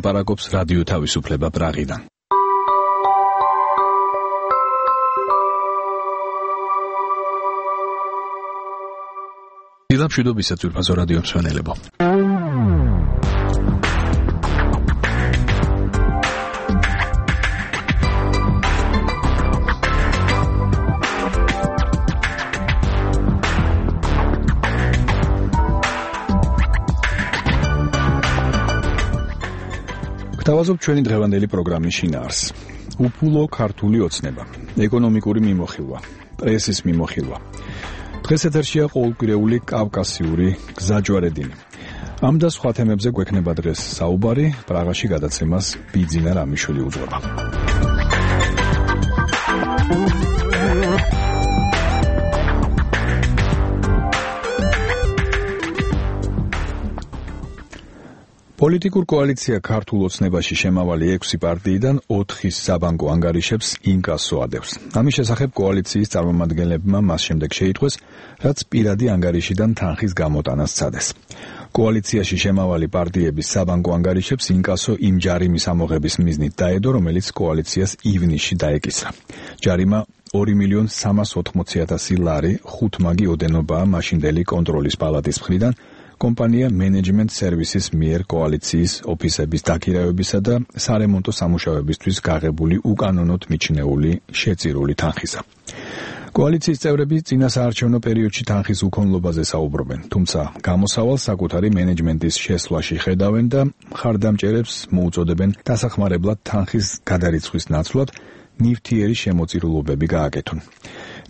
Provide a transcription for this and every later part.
ლაპარაკობს რადიო თავისუფლება პრაღიდან. დილამშვიდობისა ძვირფასო რადიო მსმენელებო. გთავაზობთ ჩვენი დღევანდელი პროგრამის შინაარსს. უფულო ქართული ოცნება, ეკონომიკური მიმოხილვა, პრესის მიმოხილვა. დღეს ეთერშია ყოველკვირეული კავკასიური გზაჯვარედინი. ამ და სხვა თემებზე გვექნება დღეს საუბარი, პრაღაში გადაცემას ბიძინა რამიშვილი უძღვება. პოლიტიკურ კოალიცია ქართულ ოცნებაში შემავალი 6 პარტიიდან 4-ის საბანკო ანგარიშებს ინკასო ადევს. ამის შესახებ კოალიციის წარმომადგენლებმა მას შემდეგ შეიტყვეს, რაც პირადი ანგარიშიდან თანხის გამოტანას სცადეს. კოალიციაში შემავალი პარტიების საბანკო ანგარიშებს ინკასო იმ ჯარიმის ამოღების მიზნით დაედო, რომელიც კოალიციას ივნისში დაეკისრა. ჯარიმა 2.380.000 ლარი 5 მაგი ოდენობაა მაშინდელი კონტროლის პალატის მხრიდან კომპანია Management Services მიერ კოალიციის ოფისების დაქირავებისა და სარემონტო სამუშაოებისთვის გაღებული უკანონოდ მიჩნეული შეწირული თანხისა. კოალიციის წევრები წინასაარჩევნო პერიოდში თანხის უქონლობაზე საუბრობენ, თუმცა გამოსავალს საკუთარი მენეჯმენტის შესვლაში ხედავენ და მხარდამჭერებს მოუწოდებენ დასახმარებლად თანხის გადარიცხვის ნაცვლად ნივთიერი შემოწირულობები გააკეთონ.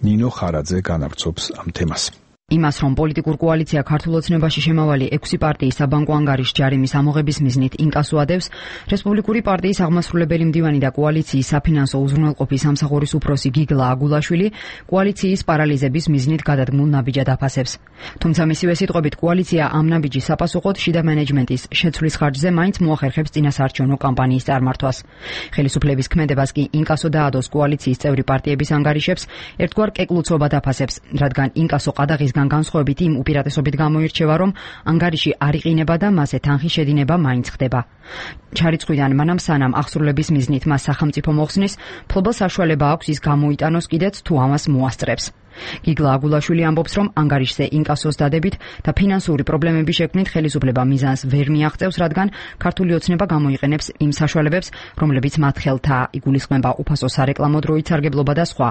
ნინო ხარაძე განავრცობს ამ თემას. იმას, რომ პოლიტიკურ კოალიცია ქართულ ოცნებაში შემავალი 6 პარტიის საბანკო ანგარიშ ჯარიმის ამოღების მიზნით ინკასო ადევს, რესპუბლიკური პარტიის აღმასრულებელი მდივანი და კოალიციის საფინანსო უზრუნველყოფის სამსახურის უფროსი გიგლა აგულაშვილი კოალიციის პარალიზების მიზნით გადადგმულ ნაბიჯად აფასებს. თუმცა მისივე სიტყვებით კოალიცია ამ ნაბიჯის საპასუხოდ შიდა მენეჯმენტის შეცვლის ხარჯზე მაინც მოახერხებს წინასაარჩევნო კამპანიის წარმართვას. ხელისუფლების ქმედებას კი ინკასო დაადოს კოალიციის წევრი პარტიების ანგარიშებს ერთგვარ კეკლუცობად აფასებს, რადგან ინკასო ყადაღის განსხვავებით იმ უპირატესობით გამოირჩევა, რომ ანგარიში არ იყინება და მასზე თანხის შედინება მაინც ხდება. ჩარიცხვიდან მანამ სანამ აღსრულების მიზნით მას სახელმწიფო მოხსნის, ფლობელს საშუალება აქვს ის გამოიტანოს კიდეც თუ ამას მოასწრებს. გიგლა აგულაშვილი ამბობს, რომ ანგარიშზე ინკასოს დადებით და ფინანსური პრობლემების შექმნით ხელისუფლება მიზანს ვერ მიაღწევს, რადგან ქართული ოცნება გამოიყენებს იმ საშუალებებს, რომლებიც მათ ხელთაა, იგულისხმება უფასო სარეკლამო დროით სარგებლობა და სხვა.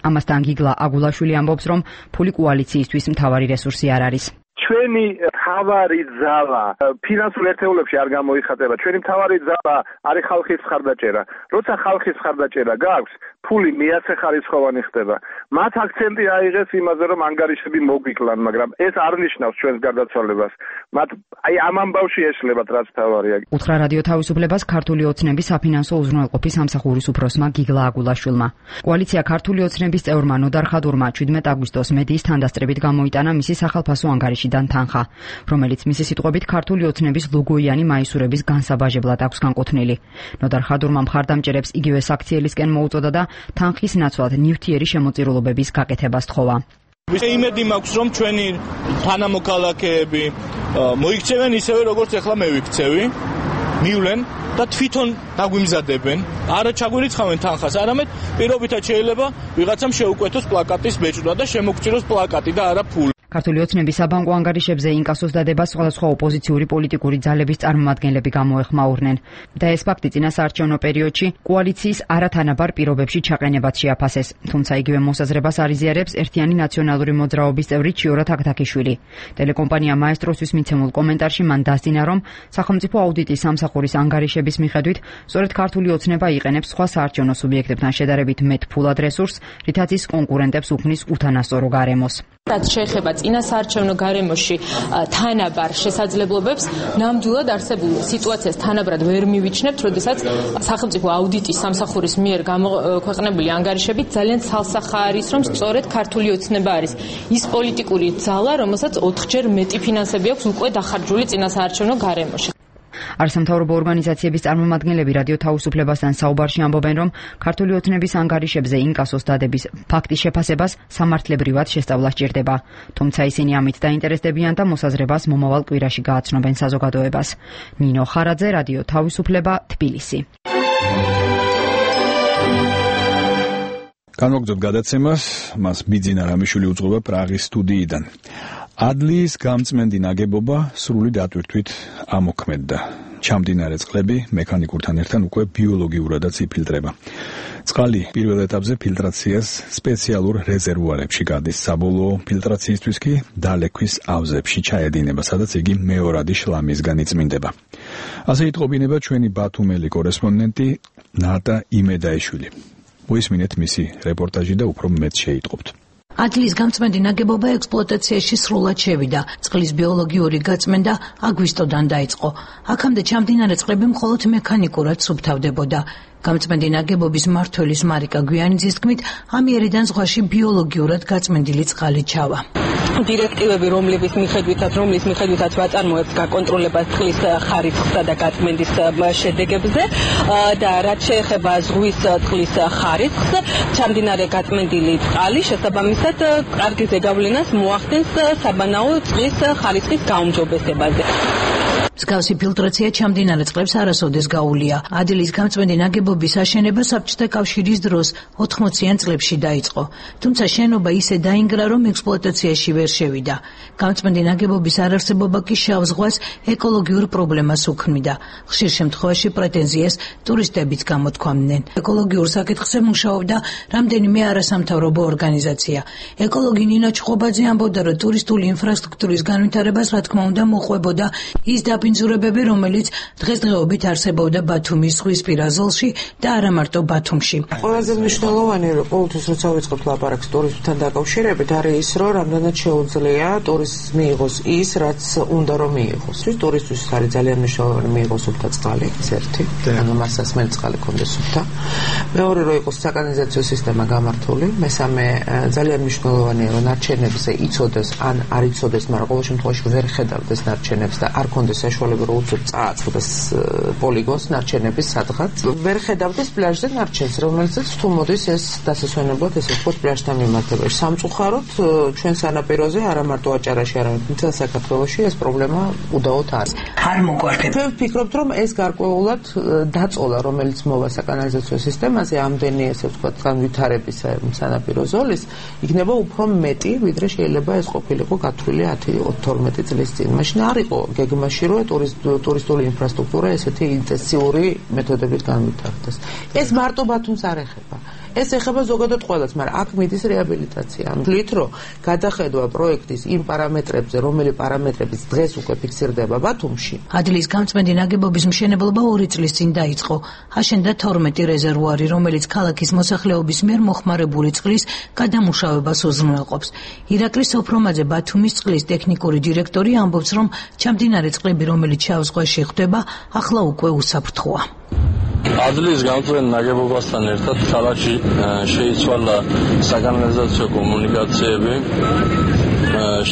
ამასთან გიგლა აგულაშვილი ამბობს, რომ ფული კოალიციისთვის მთავარი რესურსი არ არის. ჩვენი მთავარი ძალა ფინანსურ ერთეულებში არ გამოიხატება. ჩვენი მთავარი ძალა არის ხალხის მხარდაჭერა. როცა ხალხის მხარდაჭერა გაქვს, ფული მეაცეხარისხოვანი ხდება. მათ აქცენტი აიღეს იმაზე, რომ ანგარიშები მოგვიკლან, მაგრამ ეს არ ნიშნავს ჩვენს გარდაცვალებას. მათ ამ ამბავში ეშლებათ, რაც თავარია. უთხრა რადიო თავისუფლებას ქართული ოცნების საფინანსო უზრუნველყოფის სამსახურის უფროსმა გიგლა აგულაშვილმა. კოალიცია ქართული ოცნების წევრმა ნოდარ ხადურმა 17 აგვისტოს მედიის თანდასწრებით გამოიტანა მისი სახელფასო ანგარიშიდან თანხა, რომელიც მისი სიტყვებით ქართული ოცნების ლოგოიანი მაისურების განსაბაჟებლად აქვს განკუთვნილი. ნოდარ ხადურმა მხარდამჭერებს იგივე საქციელისკენ მოუწოდა და თანხის ნაცვლად ნივთიერი შემოწირულობების გაკეთებას თხოვა. იმედი მაქვს, რომ ჩვენი თანამოქალაქეები მოიქცევენ ისევე, როგორც ახლა მე ვიქცევი, მივლენ და თვითონ დაგვიმზადებენ. არა ჩაგვირიცხავენ თანხას, არამედ პირობითად შეიძლება ვიღაცამ შეუკვეთოს პლაკატის ბეჭდვა და შემოგწიროს პლაკატი და არა ფული. ქართული ოცნების საბანკო ანგარიშებზე ინკასოს დადებას სხვადასხვა ოპოზიციური პოლიტიკური ძალების წარმომადგენლები გამოეხმაურნენ და ეს ფაქტი წინასაარჩევნო პერიოდში კოალიციის არათანაბარ პირობებში ჩაყენებად შეაფასეს. თუმცა იგივე მოსაზრებას არიზიარებს ერთიანი ნაციონალური მოძრაობის წევრი ჩიორა თაქთაქიშვილი. ტელეკომპანია მაესტროსთვის მიცემულ კომენტარში მან დასძინა, რომ სახელმწიფო აუდიტის სამსახურის ანგარიშების მიხედვით სწორედ ქართული ოცნება იყენებს სხვა საარჩევნო სუბიექტებთან შედარებით მეტ ფულად რესურსს, რითაც ის კონკურენტებს უქმნის უთანასწორო გარემოს. რაც შეეხება წინასაარჩევნო გარემოში თანაბარ შესაძლებლობებს, ნამდვილად არსებულ სიტუაციას თანაბრად ვერ მივიჩნევთ, როდესაც სახელმწიფო აუდიტის სამსახურის მიერ გამოქვეყნებული ანგარიშებით ძალიან ცალსახა არის, რომ სწორედ ქართული ოცნება არის ის პოლიტიკური ძალა, რომელსაც 4-ჯერ მეტი ფინანსები აქვს უკვე დახარჯული წინასაარჩევნო გარემოში. არასამთავრობო ორგანიზაციების წარმომადგენლები რადიო თავისუფლებასთან საუბარში ამბობენ, რომ ქართული ოცნების ანგარიშებზე ინკასოს დადების ფაქტის შეფასებას სამართლებრივად შესწავლა სჭირდება. თუმცა ისინი ამით დაინტერესდებიან და მოსაზრებას მომავალ კვირაში გააცნობენ საზოგადოებას. ნინო ხარაძე, რადიო თავისუფლება, თბილისი. განვაგრძობთ გადაცემას, მას ბიძინა რამიშვილი უძღვება პრაღის სტუდიიდან. ადლიის გამწმენდი ნაგებობა სრული დატვირთვით ამოქმედდა. ჩამდინარე წყლები მექანიკურთან ერთან უკვე ბიოლოგიურადაც იფილტრება. წყალი პირველ ეტაპზე ფილტრაციას სპეციალურ რეზერვუარებში გადის. საბოლოო ფილტრაციისთვის კი დალექვის ავზებში ჩაედინება, სადაც იგი მეორადი შლამისგან იწმინდება. ასე იტყობინება ჩვენი ბათუმელი კორესპონდენტი ნატა იმედაიშვილი. მოისმინეთ მისი რეპორტაჟი და უფრო მეტ შეიტყობთ. ადლიის გამწმენდი ნაგებობა ექსპლუატაციაში სრულად შევიდა. წყლის ბიოლოგიური გაწმენდა აგვისტოდან დაიწყო. აქამდე ჩამდინარე წყლები მხოლოდ მექანიკურად სუფთავდებოდა. გამწმენდი ნაგებობის მმართველის მარიკა გვიანიძის თქმით, ამიერიდან ზღვაში ბიოლოგიურად გაწმენდილი წყალი ჩავა. დირექტივები, რომლის მიხედვითაც ვაწარმოებთ გაკონტროლებას წყლის ხარისხსა და გაწმენდის შედეგებზე და რაც შეეხება ზღვის წყლის ხარისხს, ჩამდინარე გაწმენდილი წყალი შესაბამისად კარგი ზეგავლენას მოახდენს საბანაო წყლის ხარისხის გაუმჯობესებაზე. მსგავსი ფილტრაცია ჩამდინარე წყლებს არასოდეს გაუვლია. ადლიის გამწმენდი ნაგებობის აშენება საბჭოთა კავშირის დროს 80-იან წლებში დაიწყო. თუმცა შენობა ისე დაინგრა, რომ ექსპლუატაციაში ვერ შევიდა. გამწმენდი ნაგებობის არარსებობა კი შავ ზღვას ეკოლოგიურ პრობლემას უქმნიდა. ხშირ შემთხვევაში პრეტენზიას ტურისტებიც გამოთქვამდნენ. ეკოლოგიურ საკითხზე მუშაობდა რამდენიმე არასამთავრობო ორგანიზაცია. ეკოლოგი ნინო ჩხობაძე ამბობდა, რომ ტურისტული ინფრასტრუქტურის განვითარებას რა თქმა უნდა მოყვებოდა ის დაბინძურებები, რომელიც დღესდღეობით არსებობდა ბათუმის ზღვისპირა ზოლში და არა მარტო ბათუმში. ყველაზე მნიშვნელოვანი ყოველთვის როცა ვიწყებთ ლაპარაკს ტურიზმთან დაკავშირებით, არის ის, რომ რამდენად შეუძლია ტურისტს მიიღოს ის, რაც უნდა რომ მიიღოს. ტურისტთვის არის ძალიან მნიშვნელოვანი მიიღოს სუფთა წყალი, ეს ერთი, ანუ მას სასმელი წყალი ქონდეს სუფთა. მეორე, რომ იყოს საკანალიზაციო სისტემა გამართული. მესამე, ძალიან მნიშვნელოვანია, რომ ნარჩენებზე იცოდეს ან არ იცოდეს, მაგრამ ყოველ შემთხვევაში ვერ ხედავდეს ნარჩენებს და არ ქონდეს საშუალება რომ უცებ წააწყდეს პოლიგონს ნარჩენების სადღაც. ვერ ხედავდეს პლაჟზე ნარჩენს, რომელსაც თუ მოდის ეს დასასვენებლად ესე ვთქვათ პლაჟთან მიმართებაში. სამწუხაროდ ჩვენ სანაპიროზე არა მარტო აჭარაში, არამედ მთელ საქართველოში ეს პრობლემა უდაოდ არის. არ მოგვარდება. ჩვენ ვფიქრობთ, რომ ეს გარკვეულად დაწოლა, რომელიც მოვა საკანალიზაციო სისტემაზე, ამდენი ესე ვთქვათ განვითარების სანაპირო ზოლის, იქნება უფრო მეტი, ვიდრე შეიძლება ეს ყოფილიყო გათვლილი 10-12 წლის წინ. მაშინ არ იყო გეგმაში, რომ ტურისტული ინფრასტრუქტურა ესეთი ინტენსიური მეთოდებით განვითარდეს. ეს მარტო ბათუმს არ ეხება. ეს ეხება ზოგადად ყველას, მაგრამ აქ მიდის რეაბილიტაცია. ამით რომ გადახედვა პროექტის იმ პარამეტრებზე, რომელი პარამეტრებიც დღეს უკვე ფიქსირდება ბათუმში. ადლიის გამწმენდი ნაგებობის მშენებლობა 2 წლის წინ დაიწყო. აშენდა 12 რეზერვუარი, რომელიც ქალაქის მოსახლეობის მიერ მოხმარებული წყლის გადამუშავებას უზრუნველყოფს. ირაკლი სოფრომაძე, ბათუმის წყლის ტექნიკური დირექტორი, ამბობს, რომ ჩამდინარე წყლები, რომელიც შავ ზღვაში ხვდება, ახლა უკვე უსაფრთხოა. ადლიის გამწმენდ ნაგებობასთან ერთად ქალაქში შეიცვალა საკანალიზაციო კომუნიკაციები,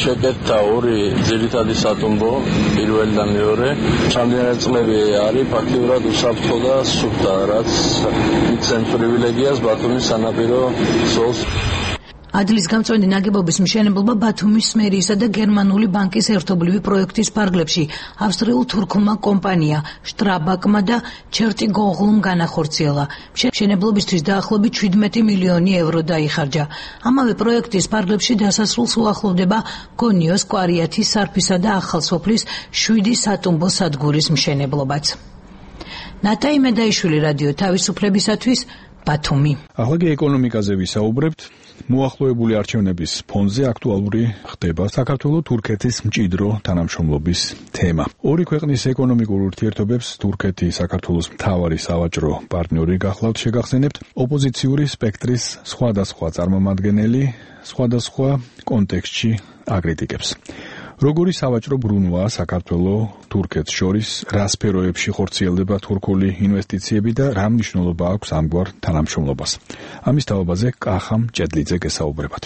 შეკეთდა 2 ძირითადი სატუმბო, პირველი და მეორე. ჩამდინარე წყლები არის ფაქტიურად უსაფრთხო და სუფთა, რაც მიცემს პრივილეგიას ბათუმის სანაპირო ზოლს. ადლიის გამწვენდი ნაგებობის მშენებლობა ბათუმის მერიისა და გერმანული ბანკის ერთობლივი პროექტის ფარგლებში ავსტრიულ-თურქულმა კომპანია შტრაბაკმა და ჩერტიგოღლუმ განახორციელა. მშენებლობისთვის დაახლოებით 17 მილიონი ევრო დაიხარჯა. ამავე პროექტის ფარგლებში დასასრულს უახლოვდება გონიოს, კვარიათის, სარფისა და ახალსოფლის 7 სატუმბო სადგურის მშენებლობაც. ნატა იმედაიშვილი, რადიო თავისუფლებისათვის, ბათუმი. ახლა კი ეკონომიკაზე ვისაუბრებთ. მოახლოებული არჩევნების ფონზე აქტუალური ხდება საქართველო-თურქეთის მჭიდრო თანამშრომლობის თემა. ორი ქვეყნის ეკონომიკურ ურთიერთობებს თურქეთი საქართველოს მთავარი სავაჭრო პარტნიორი გახლავთ შეგახსენებთ. ოპოზიციური სპექტრის სხვადასხვა წარმომადგენელი სხვადასხვა კონტექსტში აკრიტიკებს. როგორი სავაჭრო ბრუნვაა საქართველო-თურქეთს შორის, რა სფეროებში ხორციელდება თურქული ინვესტიციები და რა მნიშვნელობა აქვს ამგვარ თანამშრომლობას. ამის თაობაზე კახამ ჭედლიძე გესაუბრებათ.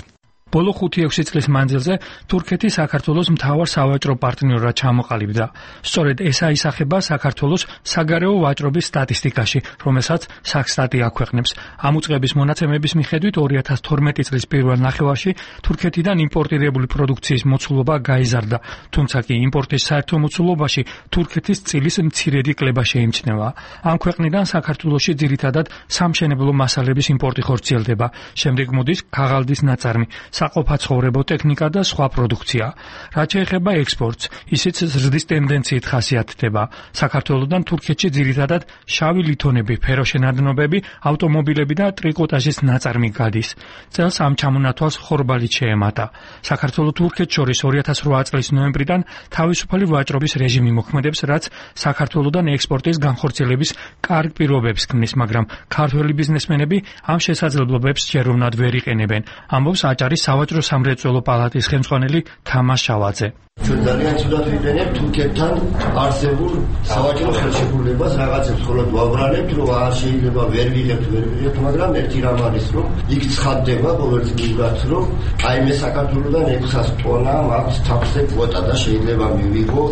ბოლო 5-6 წლის მანძილზე თურქეთი საქართველოს მთავარ სავაჭრო პარტნიორად ჩამოყალიბდა. სწორედ ეს აისახება საქართველოს საგარეო ვაჭრობის სტატისტიკაში, რომელსაც საქსტატი აქვეყნებს. ამ უწყების მონაცემების მიხედვით 2012 წლის პირველ ნახევარში თურქეთიდან იმპორტირებული პროდუქციის მოცულობა გაიზარდა, თუმცა კი იმპორტის საერთო მოცულობაში თურქეთის წილის მცირედი კლება შეიმჩნევა. ამ ქვეყნიდან საქართველოში ძირითადად სამშენებლო მასალების იმპორტი ხორციელდება, შემდეგ მოდის ქაღალდის ნაწარმი, საყოფაცხოვრებო ტექნიკა და სხვა პროდუქცია. რაც შეეხება ექსპორტს, ისიც ზრდის ტენდენციით ხასიათდება. საქართველოდან თურქეთში ძირითადად შავი ლითონები, ფეროშენადნობები, ავტომობილები და ტრიკოტაჟის ნაწარმი გადის. წელს ამ ჩამონათვალს ხორბალით შეემატა. საქართველოს თურქეთს შორის 2008 წლის ნოემბრიდან თავისუფალი ვაჭრობის რეჟიმი მოქმედებს, რაც საქართველოდან ექსპორტის განხორციელების კარგ პირობებს ქმნის, მაგრამ ქართველი ბიზნესმენები ამ შესაძლებლობებს ჯეროვნად ვერ იყენებენ, ამბობს აჭარის სავაჭრო სამრეწველო პალატის ხელმძღვანელი თამას შავაძე. ჩვენ ძალიან ცუდად ვიყენებთ თურქეთთან არსებულ სავაჭრო ხელშეკრულებას, რაღაცებს მხოლოდ ვაბრალებთ, რომ არ შეიძლება ვერ ვიღებთ, მაგრამ ერთი რამ არის, რომ იქ ცხადდება ყოველწლიურად, რომ აი მე საქართველოსდან 600 ტონა მაქვს თავზე კვოტა და შეიძლება მივიღო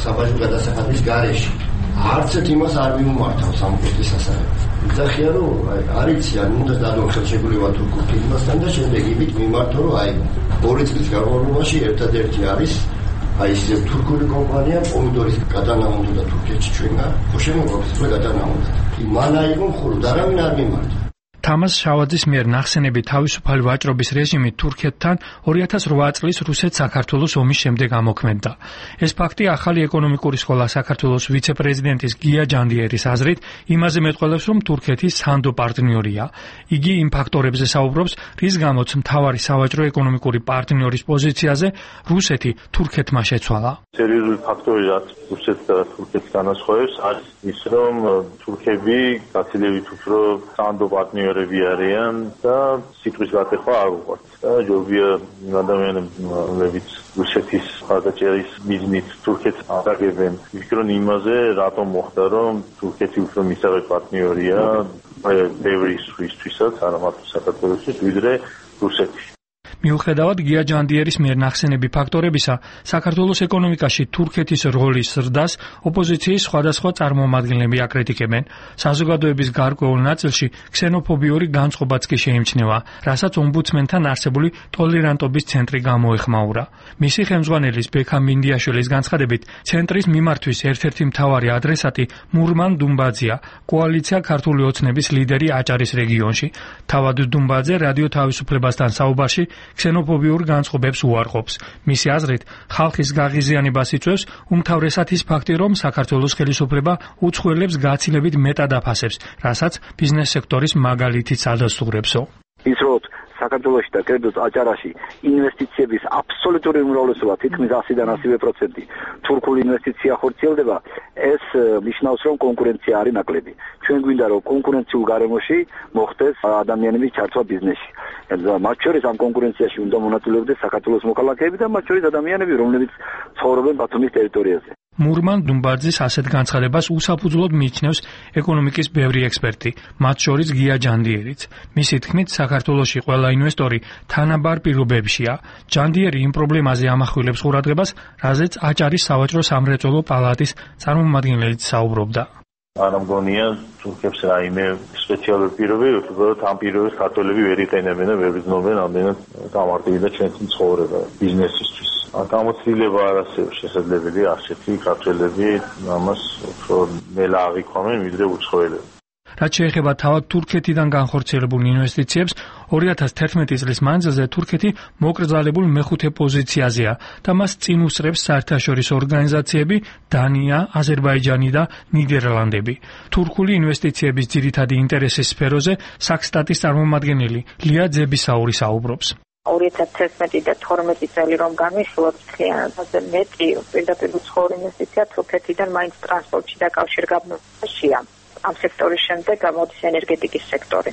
საბაჟო გადასახადის გარეშე. არც ერთ იმას არ მიმართავს ამ კვოტის ასაღებად. იცახია რომ არიცი ან უნდა დადო ხელშეკრულება თურქულ ფირმასთან და შემდეგ იმით მიმართო რომ აი 2 წლის განმავლობაში ერთადერთი არის აი ეს თურქული კომპანია პომიდორის გადანამონდა და თურქეთში ჩვენგან შემოგვაქვს გადანამონდა. მან აიღო მხოლოდ არავინ არ მიმართა. თამას შავაძის მიერ ნახსენები თავისუფალი ვაჭრობის რეჟიმი თურქეთთან 2008 წლის რუსეთ-საქართველოს ომის შემდეგ ამოქმედდა. ეს ფაქტი ახალი ეკონომიკური სკოლა საქართველოს ვიცე-პრეზიდენტის გია ჯანდიერის აზრით იმაზე მეტყველებს, რომ თურქეთი სანდო პარტნიორია. იგი იმ ფაქტორებზე საუბრობს, რის გამოც მთავარი სავაჭრო ეკონომიკური პარტნიორის პოზიციაზე რუსეთი თურქეთმა შეცვალა. სერიოზული ფაქტორი, რაც რუსეთს და თურქეთს განასხვავებს, არის ის, რომ თურქები გაცილებით უფრო სანდო პარტნიორები არიან და სიტყვის გატეხვა არ უყვართ. და ჯობია ადამიანებიც რუსეთის მხარდაჭერის მიზნით თურქეთს აღებენ. ვფიქრობ იმაზე, რატომ მოხდა, რომ თურქეთი უფრო მისაღები პარტნიორია ბევრი ისთვისაც, არა მარტო საქართველოსთვის, ვიდრე რუსეთი. მიუხედავად გია ჯანდიერის მიერ ნახსენები ფაქტორებისა, საქართველოს ეკონომიკაში თურქეთის როლის ზრდას ოპოზიციის სხვადასხვა წარმომადგენლები აკრიტიკებენ. საზოგადოების გარკვეულ ნაწილში ქსენოფობიური განწყობაც კი შეიმჩნევა, რასაც ომბუდსმენთან არსებული ტოლერანტობის ცენტრი გამოეხმაურა. მისი ხელმძღვანელის ბექა მინდიაშვილის განცხადებით, ცენტრის მიმართვის ერთ-ერთი მთავარი ადრესატი მურმან დუმბაძეა, კოალიცია ქართული ოცნების ლიდერი აჭარის რეგიონში. თავად დუმბაძე რადიო თავისუფლებასთან საუბარში ქსენოფობიურ განწყობებს უარყოფს. მისი აზრით, ხალხის გაღიზიანებას იწვევს უმთავრესად ის ფაქტი, რომ საქართველოს ხელისუფლება უცხოელებს გაცილებით მეტად აფასებს, რასაც ბიზნეს სექტორის მაგალითიც ადასტურებსო. ის რომ საქართველოში და კერძოდ აჭარაში ინვესტიციების აბსოლუტური უმრავლესობა თითქმის 100-დან 100% თურქული ინვესტიცია ხორციელდება, ეს ნიშნავს, რომ კონკურენცია არის ნაკლები. ჩვენ გვინდა, რომ კონკურენციულ გარემოში მოხდეს ადამიანების ჩართვა ბიზნესში. მათ შორის ამ კონკურენციაში უნდა მონაწილეობდეს საქართველოს მოქალაქეები და მათ შორის ადამიანები, რომლებიც ცხოვრობენ ბათუმის ტერიტორიაზე. მურმან დუმბაძის ასეთ განცხადებას უსაფუძვლოდ მიიჩნევს ეკონომიკის ბევრი ექსპერტი, მათ შორის გია ჯანდიერიც. მისი თქმით, საქართველოში ყველა ინვესტორი თანაბარ პირობებშია. ჯანდიერი იმ პრობლემაზე ამახვილებს ყურადღებას, რაზეც აჭარის სავაჭრო სამრეწველო პალატის წარმომადგენელიც საუბრობდა. არ მგონია თურქებს რაიმე სპეციალური პირობები, უბრალოდ ამ პირობებს ქართველები ვერ იყენებენ და ვერ გრძნობენ ამდენად გამარტივდა ჩვენს ცხოვრება ბიზნესისთვის. გამოცდილება არ არსებობს შესაძლებელი ასეთი ქართველები ამას უფრო მელა აღიქვამენ ვიდრე უცხოელები. რაც შეეხება თავად თურქეთიდან განხორციელებულ ინვესტიციებს, 2011 წლის მანძილზე თურქეთი მოკრძალებულ მეხუთე პოზიციაზეა და მას წინ უსწრებს საერთაშორისო ორგანიზაციები დანია, აზერბაიჯანი და ნიდერლანდები. თურქული ინვესტიციების ძირითადი ინტერესის სფეროზე საქსტატის წარმომადგენელი ლია ძებისაური საუბრობს. 2011 და 12 წელი რომ გამიხილოთ, ხიანაზე მეტი პირდაპირ უცხოური ინვესტიცია თურქეთიდან მაინც ტრანსპორტში და კავშირგაბმებაშია. ამ სექტორის შემდეგ გამოდის ენერგეტიკის სექტორი.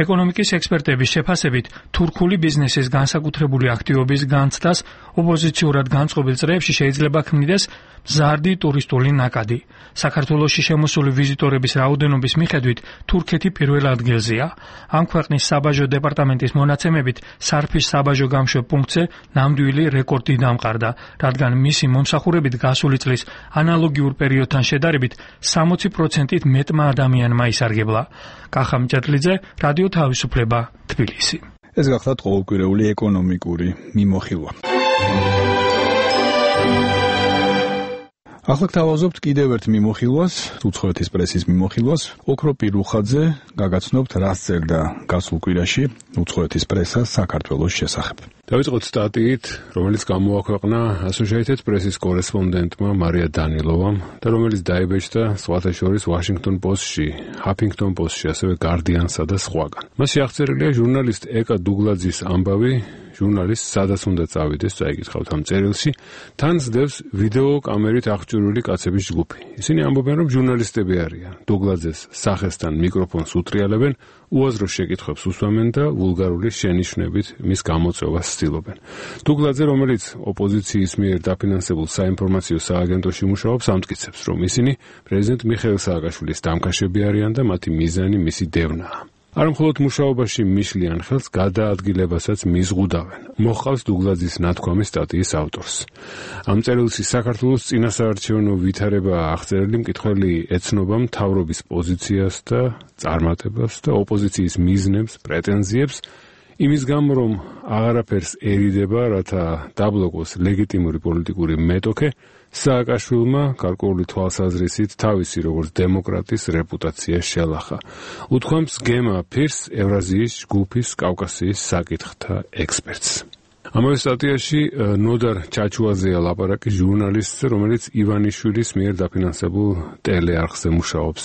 ეკონომიკის ექსპერტების შეფასებით, თურქული ბიზნესის განსაკუთრებული აქტივობის განცდას ოპოზიციურად განწყობილ წრეებში შეიძლება ქმნიდეს ზარდი ტურისტული ნაკადი. საქართველოში შემოსული ვიზიტორების რაოდენობის მიხედვით თურქეთი პირველ ადგილზეა. ამ ქვეყნის საბაჟო დეპარტამენტის მონაცემებით სარფის საბაჟო გამშვებ პუნქტზე ნამდვილი რეკორდი დამყარდა, რადგან მისი მომსახურებით გასული წლის ანალოგიურ პერიოდთან შედარებით 60%-ით მეტმა ადამიანმა ისარგებლა. კახა მჭედლიძე, რადიო თავისუფლება, თბილისი. ეს გახლავთ ყოველკვირეული ეკონომიკური მიმოხილვა. ახლა გთავაზობთ კიდევ ერთ მიმოხილვას, უცხოეთის პრესის მიმოხილვას. ოქრო პირუხაძე გაგაცნობთ, რას წერდა გასულ კვირაში უცხოეთის პრესა საქართველოს შესახებ. დავიწყოთ სტატიით, რომელიც გამოაქვეყნა Associated Press-ის კორესპონდენტმა მარია დანილოვამ და რომელიც დაიბეჭდა სხვათა შორის Washington Post-ში, Huffington Post-ში, ასევე Guardian-სა და სხვაგან. მასში აღწერილია ჟურნალისტ ეკა დუგლაძის ამბავი, ჟურნალისტს სადაც უნდა წავიდეს, წაიკითხავთ ამ წერილში, თან ზდევს ვიდეო კამერით აღჭურვილი კაცების ჯგუფი. ისინი ამბობენ, რომ ჟურნალისტები არიან. დუგლაძეს სახესთან მიკროფონს უტრიალებენ, უაზრო შეკითხვებს უსვამენ და ვულგარული შენიშვნებით მის გამოწვევას ცდილობენ. დუგლაძე, რომელიც ოპოზიციის მიერ დაფინანსებულ საინფორმაციო სააგენტოში მუშაობს, ამტკიცებს, რომ ისინი პრეზიდენტ მიხეილ სააკაშვილის დამკაშები არიან და მათი მიზანი მისი დევნაა. არ მხოლოდ მუშაობაში მიშლიან ხელს, გადაადგილებასაც მიზღუდავენ. მოჰყავს დუგლაძის ნათქვამი სტატიის ავტორს. ამ წერილში საქართველოს წინასაარჩევნო ვითარება აღწერილი მკითხველი ეცნობა მთავრობის პოზიციას და წარმატებას და ოპოზიციის მიზნებს, პრეტენზიებს, იმის გამო, რომ აღარაფერს ერიდება, რათა დაბლოკოს ლეგიტიმური პოლიტიკური მეტოქე, სააკაშვილმა გარკვეული თვალსაზრისით თავისი როგორც დემოკრატის რეპუტაცია შელახა. უთქვამს გემა ფირს ევრაზიის ჯგუფის კავკასიის საკითხთა ექსპერტს. ამავე სტატიაში ნოდარ ჩაჩუაზეა ლაპარაკი ჟურნალისტზე, რომელიც ივანიშვილის მიერ დაფინანსებულ ტელეარხზე მუშაობს.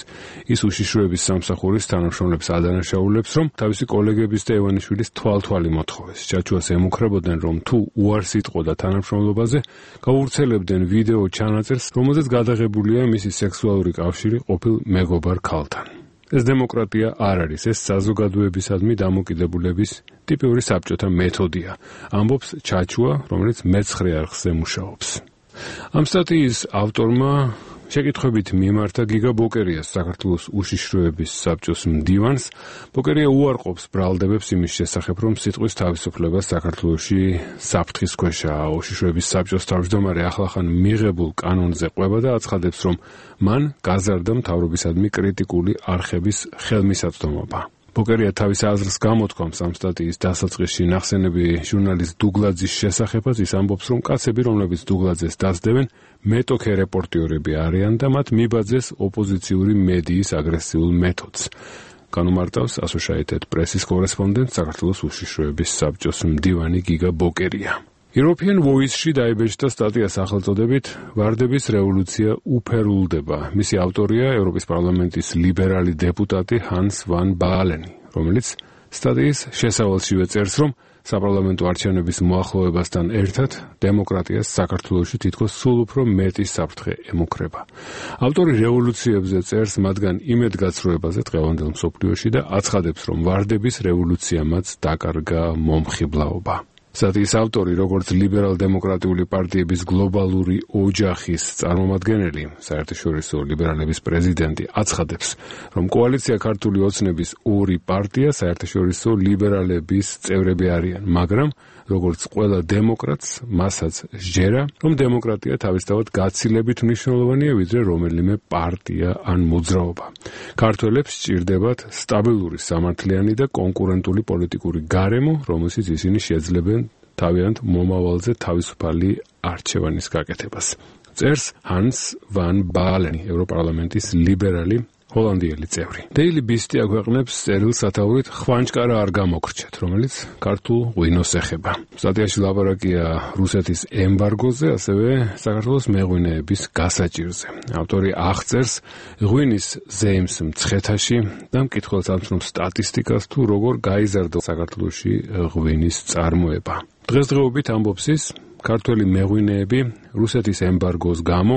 ის უშიშროების სამსახურის თანამშრომლებს ადანაშაულებს, რომ თავისი კოლეგების და ივანიშვილის თვალთვალი მოთხოვეს. ჩაჩუას ემუქრებოდნენ, რომ თუ უარს იტყოდა თანამშრომლობაზე, გაუვრცელებდნენ ვიდეო ჩანაწერს, რომელზეც გადაღებულია მისი სექსუალური კავშირი ყოფილ მეგობარ ქალთან. ეს დემოკრატია არ არის, ეს საზოგადოებისადმი დამოკიდებულების ტიპიური საბჭოთა მეთოდია, ამბობს ჩაჩუა, რომელიც მეცხრე არხზე მუშაობს. ამ სტატიის ავტორმა შეკითხვებით მიმართა გიგა ბოკერიას, საქართველოს უშიშროების საბჭოს მდივანს. ბოკერია უარყოფს ბრალდებებს იმის შესახებ, რომ სიტყვის თავისუფლება საქართველოში საფრთხის ქვეშაა. უშიშროების საბჭოს თავმჯდომარე ახლახან მიღებულ კანონზე ყვება და აცხადებს, რომ მან გაზარდა მთავრობისადმი კრიტიკული არხების ხელმისაწვდომობა. ბოკერია თავის აზრს გამოთქვამს ამ სტატიის დასაწყისში ნახსენები ჟურნალისტ დუგლაძის შესახებაც. ის ამბობს, რომ კაცები, რომლებიც დუგლაძეს დასდევენ, მეტოქე რეპორტიორები არიან და მათ მიბაძეს ოპოზიციური მედიის აგრესიულ მეთოდს. განუმარტავს Associated Press-ის კორესპონდენტ საქართველოს უშიშროების საბჭოს მდივანი გიგა ბოკერია. European Voice-ში დაიბეჭდა სტატია სახელწოდებით „ვარდების რევოლუცია უფერულდება“. მისი ავტორია ევროპის პარლამენტის ლიბერალი დეპუტატი ჰანს ვან ბაალენი, რომელიც სტატიის შესავალშივე წერს, რომ საპარლამენტო არჩევნების მოახლოებასთან ერთად დემოკრატიას საქართველოში თითქოს სულ უფრო მეტი საფრთხე ემუქრება. ავტორი რევოლუციებზე წერს, მათგან იმედგაცრუებაზე დღევანდელ მსოფლიოში და აცხადებს, რომ ვარდების რევოლუციამაც დაკარგა მომხიბლაობა. სტატიის ავტორი, როგორც ლიბერალ-დემოკრატიული პარტიების გლობალური ოჯახის წარმომადგენელი, საერთაშორისო ლიბერალების პრეზიდენტი, აცხადებს, რომ კოალიცია ქართული ოცნების ორი პარტია საერთაშორისო ლიბერალების წევრები არიან, მაგრამ როგორც ყველა დემოკრატს, მასაც სჯერა, რომ დემოკრატია თავისთავად გაცილებით მნიშვნელოვანია, ვიდრე რომელიმე პარტია ან მოძრაობა. ქართველებს სჭირდებათ სტაბილური, სამართლიანი და კონკურენტული პოლიტიკური გარემო, რომელშიც ისინი შეძლებენ თავიანთ მომავალზე თავისუფალი არჩევანის გაკეთებას. წერს ჰანს ვან ბაალენი, ევროპარლამენტის ლიბერალი ჰოლანდიელი წევრი. Daily Beast აქვეყნებს წერილს სათაურით ხვანჭკარა არ გამოგრჩეთ, რომელიც ქართულ ღვინოს ეხება. სტატიაში ლაპარაკია რუსეთის ემბარგოზე, ასევე საქართველოს მეღვინეების გასაჭირზე. ავტორი აღწერს ღვინის ზეიმს მცხეთაში და მკითხველს ამცნობს სტატისტიკას, თუ როგორ გაიზარდა საქართველოში ღვინის წარმოება. დღესდღეობით ამბობს ის, ქართველი მეღვინეები რუსეთის ემბარგოს გამო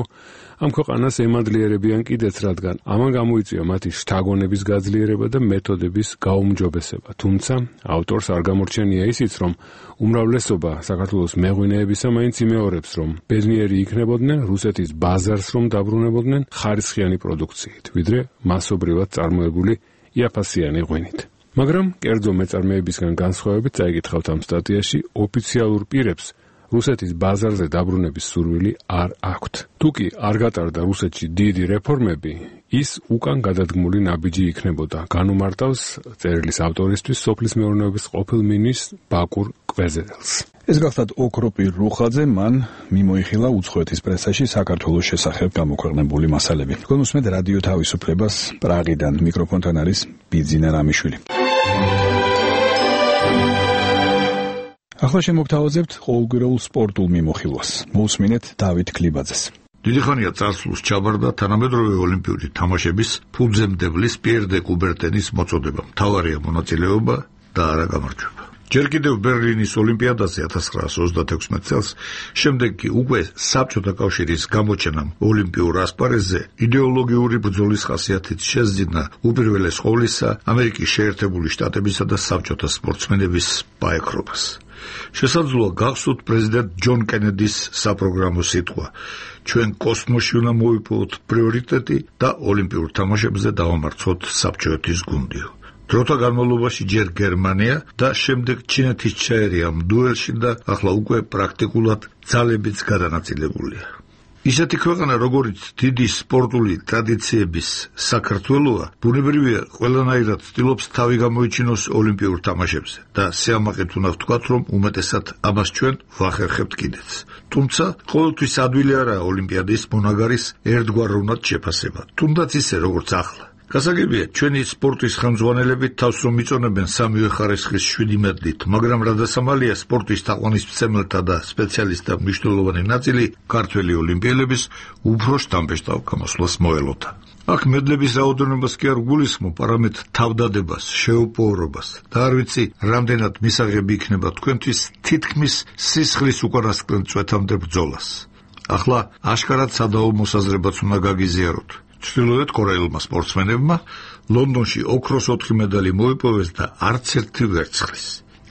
ამ ქვეყანას ემადლიერებიან კიდეც, რადგან ამან გამოიწვია მათი შთაგონების გაძლიერება და მეთოდების გაუმჯობესება. თუმცა ავტორს არ გამორჩენია ისიც, რომ უმრავლესობა საქართველოს მეღვინეებისა მაინც იმეორებს, რომ ბედნიერი იქნებოდნენ რუსეთის ბაზარს რომ დაბრუნებოდნენ ხარისხიანი პროდუქციით, ვიდრე მასობრივად წარმოებული იაფასიანი ღვინით. მაგრამ კერძო მეწარმეებისგან განსხვავებით წაიკითხავთ ამ სტატიაში, ოფიციალურ პირებს რუსეთის ბაზარზე დაბრუნების სურვილი არ აქვთ. თუკი არ გატარდა რუსეთში დიდი რეფორმები, ის უკან გადადგმული ნაბიჯი იქნებოდა. განუმარტავს წერილის ავტორისთვის სოფლის მეურნეობის ყოფილ მინისტრს ბაკურ კვეზედელს. ეს გახლავთ ოქროპირ რუხაძე, მან მიმოიხილა უცხოეთის პრესაში საქართველოს შესახებ გამოქვეყნებული მასალები. გონუსმეთ რადიო თავისუფლებას პრაღიდან, მიკროფონთან არის ბიძინა რამიშვილი. ახლა შემოგთავაზებთ ყოველგვირეულ სპორტულ მიმოხილვას. მოусმინეთ დავით კლიბაძეს. დიდი ხანია წარსულს ჩაბარდა თანამედროვე ოლიმპიური თამაშების ფუძემდებლის პიერ დე კუბერტენის მოწოდება. მთავარია მონაწილეობა და არა გამარჯვება. ჯერ კიდევ ბერლინის ოლიმპიადაზე 1936 წელს, შემდეგ კი უკვე საბჭოთა კავშირის გამოჩენამ ოლიმპიურ ასპარეზზე იდეოლოგიური ბრძოლის ხასიათით შეძინა უპირველეს ყოვლისა ამერიკის შეერთებული შტატებისა და საბჭოთა სპორტსმენების პაექრობას. შესაძლოა გახსოვთ პრეზიდენტ ჯონ კენედის საპროგრამო სიტყვა: ჩვენ კოსმოსში უნდა მოვიპოვოთ პრიორიტეტი და ოლიმპიურ თამაშებზე დავამარცხოთ საბჭოეთის გუნდიო. დროთა განმავლობაში ჯერ გერმანია და შემდეგ ჩინეთის ჩაერია ამ დუელში და ახლა უკვე პრაქტიკულად ძალებიც გადანაწილებულია. ისეთი ქვეყანა, როგორიც დიდი სპორტული ტრადიციების საქართველოა, ბუნებრივია ყველანაირად ცდილობს თავი გამოიჩინოს ოლიმპიურ თამაშებზე და სიამაყით უნდა ვთქვათ, რომ უმეტესად ამას ჩვენ ვახერხებთ კიდეც. თუმცა ყოველთვის ადვილი არაა ოლიმპიადის მონაგარის ერთგვაროვნად შეფასება, თუნდაც ისე როგორც ახლა. გასაგებია, ჩვენი სპორტის ხელმძღვანელები თავს რომ იწონებენ სამივე ხარისხის 7 მედლით, მაგრამ რადასამალია სპორტის თაყვანისმცემელთა და სპეციალისტთა მნიშვნელოვანი ნაწილი ქართველი ოლიმპიელების უფრო შთამბეჭდავ გამოსვლას მოელოდა. აქ მედლების რაოდენობას კი არ გულისხმობ, არამედ თავდადებას, შეუპოვრობას და არ ვიცი, რამდენად მისაღები იქნება თქვენთვის თითქმის სისხლის უკანასკნელ წვეთამდე ბრძოლას. ახლა აშკარად სადაო მოსაზრებაც უნდა გაგიზიაროთ. ჩრდილოეთ კორეელმა სპორტსმენებმა ლონდონში ოქროს 4 მედალი მოიპოვეს და არც ერთი ვერცხლის.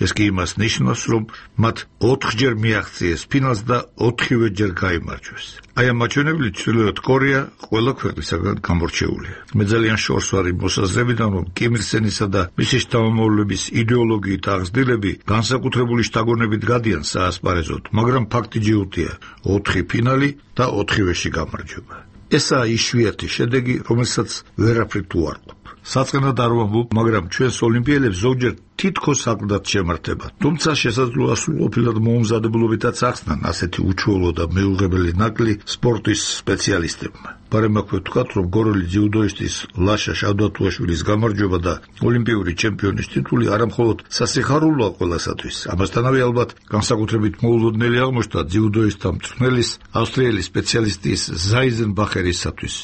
ეს კი იმას ნიშნავს, რომ მათ 4-ჯერ მიაღწიეს ფინალს და 4-ვე ჯერ გაიმარჯვეს. აი ამ მაჩვენებლით ჩრდილოეთ კორეა ყველა ქვეყნისაგან გამორჩეულია. მე ძალიან შორს ვარ იმ მოსაზრებიდან, რომ კიმ ირ სენისა და მისი შთამომავლების იდეოლოგიით აღზრდილები განსაკუთრებული შთაგონებით გადიან საასპარეზოდ, მაგრამ ფაქტი ჯიუტია: 4 ფინალი და 4-ვეში გამარჯვება. ესაა იშვიათი შედეგი, რომელსაც ვერაფრით უარყოფ. საწყენად არ ვამბობ, მაგრამ ჩვენს ოლიმპიელებს ზოგჯერ თითქოს აკლდათ შემართება. თუმცა შესაძლოა სრულყოფილად მოუმზადებლობითაც ახსნან ასეთი უჩვეულო და მეუღებელი ნაკლი სპორტის სპეციალისტებმა. ბარემ აქვე ვთქვათ, რომ გორელი ძიუდოისტის ლაშა შავდათუაშვილის გამარჯვება და ოლიმპიური ჩემპიონის ტიტული არამხოლოდ სასიხარულოა ყველასათვის. ამასთანავე ალბათ განსაკუთრებით მოულოდნელი აღმოჩნდა ძიუდოისტთა მწვრთნელის, ავსტრიელი სპეციალისტის ზაიზენბახერისათვის,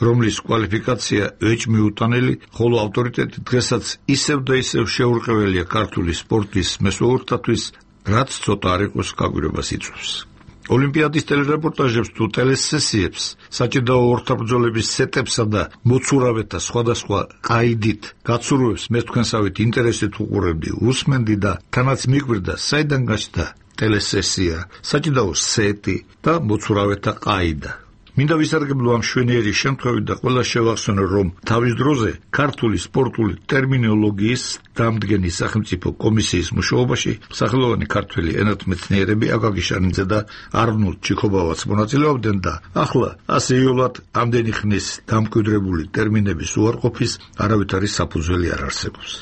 რომლის კვალიფიკაცია ეჭვმიუტანელი, ხოლო ავტორიტეტი დღესაც ისევ და ისევ შეურყეველია ქართული სპორტის მესვეურთათვის, რაც ცოტა არ იყოს გაგვირებას იწვევს. ოლიმპიადის ტელერეპორტაჟებს თუ ტელესესიებს, საჭიდაო ორთაბრძოლების სეტებსა და მოცურავეთა სხვადასხვა ყაიდით გაცურვებს მე თქვენსავით ინტერესით უყურებდი, უსმენდი და თანაც მიგვირდა, საიდან გაჩნდა ტელესესია, საჭიდაო სეტი და მოცურავეთა ყაიდა. მინდა ვისარგებლო ამ შვენიერი შემთხვევით და ყველა შევახსენო, რომ თავის დროზე ქართული სპორტული ტერმინოლოგიის დამდგენი სახელმწიფო კომისიის მუშაობაში სახელოვანი ქართველი ენათმეცნიერები აკაკი შანიძე და არნოლდ ჩიქობავაც მონაწილეობდნენ და ახლა ასეულად ამდენი ხნის დამკვიდრებული ტერმინების უარყოფის არავითარი საფუძველი არ არსებობს.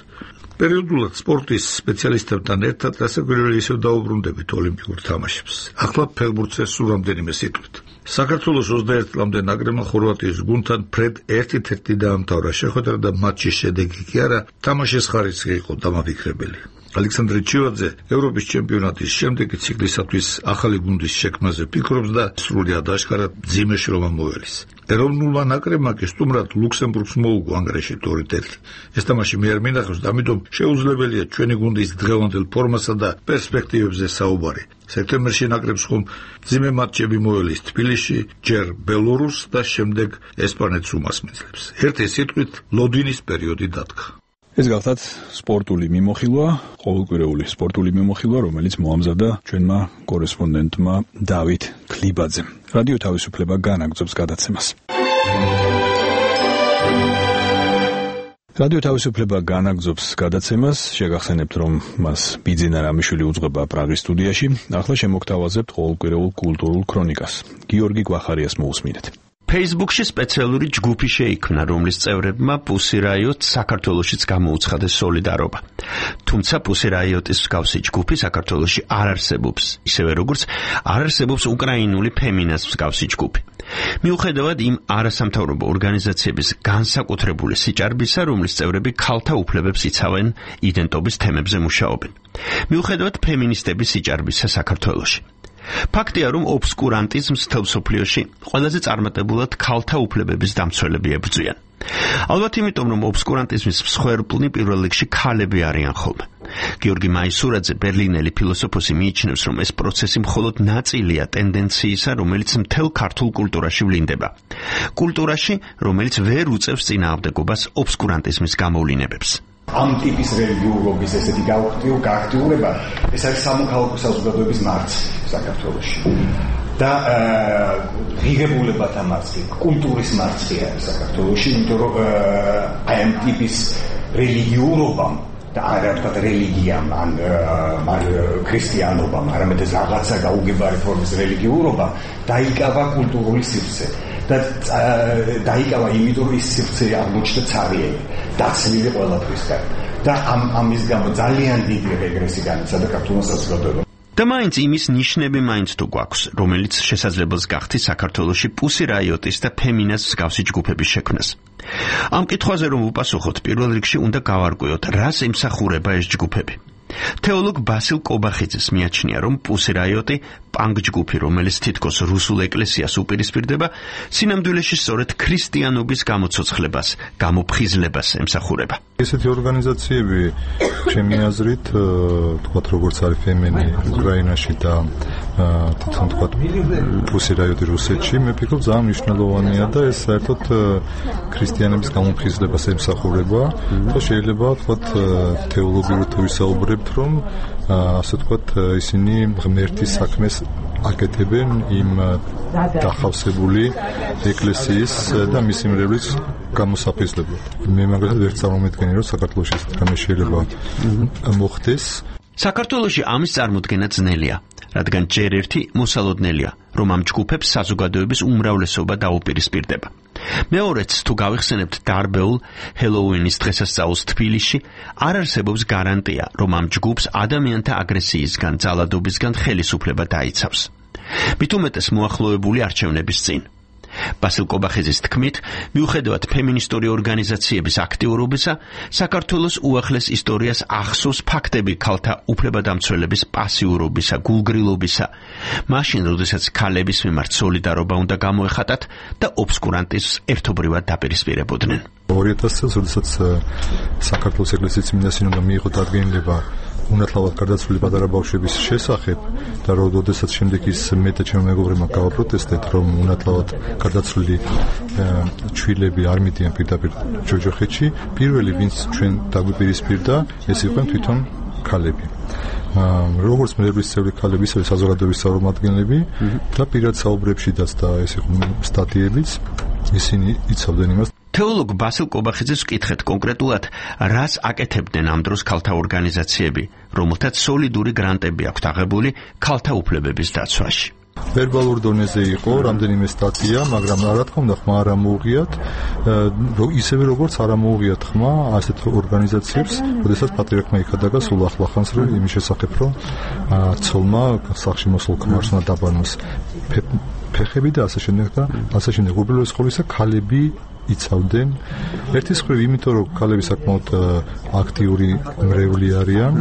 პერიოდულად სპორტის სპეციალისტებთან ერთად გასაკვირველი ისევ დაუბრუნდებით ოლიმპიურ თამაშებს. ახლა ფეხბურთზე სულ რამდენიმე სიტყვით. საქართველოს 21 წლამდე ნაკრებმა ხორვატიის გუნდთან ფრედ 1-1 დაამთავრა შეხვედრა და მატჩის შედეგი კი არა, თამაშის ხარისხი იყო დამაფიქრებელი. ალექსანდრე ჩივაძე ევროპის ჩემპიონატის შემდეგი ციკლისათვის ახალი გუნდის შექმნაზე ფიქრობს და სრულიად აშკარად მძიმე შრომა მოელის. ეროვნულმა ნაკრებმა კი სტუმრად ლუქსემბურგს მოუგო ანგარიში 2-1. ეს თამაში მე არ მინახავს და ამიტომ შეუძლებელია ჩვენი გუნდის დღევანდელ ფორმასა და პერსპექტივებზე საუბარი. სექტემბერში ნაკრებს ხომ მძიმე მატჩები მოელის თბილისში, ჯერ ბელორუსს და შემდეგ ესპანეთს უმასპინძლებს. ერთი სიტყვით ლოდინის პერიოდი დადგა. ეს გახლავთ სპორტული მიმოხილვა, ყოველკვირეული სპორტული მიმოხილვა, რომელიც მოამზადა ჩვენმა კორესპონდენტმა დავით ქლიბაძემ. რადიო თავისუფლება განაგრძობს გადაცემას. რადიო თავისუფლება განაგრძობს გადაცემას, შეგახსენებთ, რომ მას ბიძინა რამიშვილი უძღვება პრაღის სტუდიაში. ახლა შემოგთავაზებთ ყოველკვირეულ კულტურულ ქრონიკას. გიორგი გვახარიას მოусმინეთ. Facebook-ში სპეციალური ჯგუფი შეიქმნა, რომლის წევრებმა Pussy Riot საქართველოშიც გამოუცხადეს სოლიდარობა. თუმცა Pussy Riot-ის მსგავსი ჯგუფი საქართველოში არ არსებობს, ისევე როგორც არ არსებობს უკრაინული Feminas მსგავსი ჯგუფი. მიუხედავად იმ არასამთავრობო ორგანიზაციების განსაკუთრებული სიჭარბისა, რომლის წევრები ქალთა უფლებებს იცავენ, იდენტობის თემებზე მუშაობენ. მიუხედავად ფემინისტების სიჭარბისა საქართველოში. ფაქტია, რომ ობსკურანტიზმს მთელ მსოფლიოში ყველაზე წარმატებულად ქალთა უფლებების დამცველები ებრძვიან. ალბათ იმიტომ, რომ ობსკურანტიზმის მსხვერპლნი პირველ რიგში ქალები არიან ხოლმე. გიორგი მაისურაძე, ბერლინელი ფილოსოფოსი, მიიჩნევს, რომ ეს პროცესი მხოლოდ ნაწილია ტენდენციისა, რომელიც მთელ ქართულ კულტურაში ვლინდება. კულტურაში, რომელიც ვერ უწევს წინააღმდეგობას ობსკურანტიზმის გამოვლინებებს. ამ ტიპის რელიგიურობის ესეთი გააქტიურება, ეს არის სამოქალაქო საზოგადოების მარცხი საქართველოში. და ღირებულებათა მარცხი, კულტურის მარცხი არის საქართველოში, იმიტომ რომ აი ამ ტიპის რელიგიურობამ და არა თქვა რელიგიამ, ან ქრისტიანობამ, არამედ ეს რაღაცა გაუგებარი ფორმის რელიგიურობა დაიკავა კულტურული სივრცე. და დაიკავა იმიტომ, რომ ის სივრცე აღმოჩნდა ცარიელი, დაცლილი ყველაფრისგან. და ამის გამო ძალიან დიდი რეგრესი განიცადა ქართულმა საზოგადოებამ. და მაინც იმის ნიშნები მაინც თუ გვაქვს, რომელიც შესაძლებელს გახდით საქართველოში Pussy Riot-ის და Feminas მსგავსი ჯგუფების შექმნას. ამ კითხვაზე რომ ვუპასუხოთ, პირველ რიგში უნდა გავარკვიოთ, რას ემსახურება ეს ჯგუფები. თეოლოგ ბასილ კობახიძეს მიაჩნია, რომ Pussy Riot-ი პანკ ჯგუფი, რომელიც თითქოს რუსულ ეკლესიას უპირისპირდება, სინამდვილეში სწორედ ქრისტიანობის გამოცოცხლებას, გამოფხიზლებას ემსახურება. ესეთი ორგანიზაციები, ჩემი აზრით, თქვათ როგორც არის Femeni უკრაინაში და თვითონ თქვათ Pussy Riot-ი რუსეთში, მე ვფიქრობ ძალიან მნიშვნელოვანია და ეს საერთოდ ქრისტიანების გამოფხიზლებას ემსახურება და შეიძლება თქვათ თეოლოგიურად ვისაუბრებთ, რომ ასე თქვათ ისინი ღმერთის საქმეს აკეთებენ იმ დახავსებული ეკლესიის და მისი მრევლის გამოსაფხიზლებლად. მე მაგალითად ვერ წარმომედგენი, რომ საქართველოში ეს რამე შეიძლება მოხდეს. საქართველოში ამის წარმოქმნა ძნელია, რადგან ჯერ ერთი მოსალოდნელია, რომ ამ ჯგუფებს საზოგადოების უმრავლესობა დაუპირისპირდება. მეორეც, თუ გავიხსენებთ დარბეულ ჰელოუინის დღესასწაულს თბილისში, არ არსებობს გარანტია, რომ ამ ჯგუფს ადამიანთა აგრესიისგან, ძალადობისგან ხელისუფლება დაიცავს. მით უმეტეს მოახლოებული არჩევნების წინ. ბასილ კობახიძის თქმით, მიუხედავად ფემინისტური ორგანიზაციების აქტიურობისა, საქართველოს უახლეს ისტორიას ახსოვს ფაქტები ქალთა უფლებადამცველების პასიურობისა, გულგრილობისა, მაშინ, როდესაც ქალების მიმართ სოლიდარობა უნდა გამოეხატათ და ობსკურანტიზმს ერთობრივად დაპირისპირებოდნენ. 2000 წელს, როდესაც საქართველოს ეკლესიის წმინდა სინოდმა მიიღო დადგენილება უნათლავად გარდაცვლილი პატარა ბავშვების შესახებ და როდესაც შემდეგ ის მე და ჩემი მეგობრებმა გავაპროტესტეთ, რომ უნათლავად გარდაცვლილი ჩვილები არ მიდიან პირდაპირ ჯოჯოხეთში, პირველი ვინც ჩვენ დაგვიპირისპირდა, ეს იყვნენ თვითონ ქალები. როგორც მრევლის წევრი ქალები, ისევე საზოგადოების წარმომადგენლები და პირად საუბრებშიდაც და ეს იყო სტატიებიც, ისინი იცავდნენ იმას. თეოლოგ ბასილ კობახიძეს ვკითხეთ კონკრეტულად, რას აკეთებდნენ ამ დროს ქალთა ორგანიზაციები, რომელთაც სოლიდური გრანტები აქვთ აღებული ქალთა უფლებების დაცვაში. ვერბალურ დონეზე იყო რამდენიმე სტატია, მაგრამ რა თქმა უნდა ხმა არ ამოუღიათ, ისევე როგორც არ ამოუღიათ ხმა ასეთ ორგანიზაციებს, როდესაც პატრიარქმა იქადაგა სულ ახლახანს რომ იმის შესახებ, რომ ცოლმა სახლში მოსულ ქმარს უნდა დაბანოს ფეხები და ასე შემდეგ და ასე შემდეგ. უბრალოდ ყოველისა ქალები იცავდნენ. ერთის მხრივ იმიტომ რომ ქალები საკმაოდ აქტიური მრევლი არიან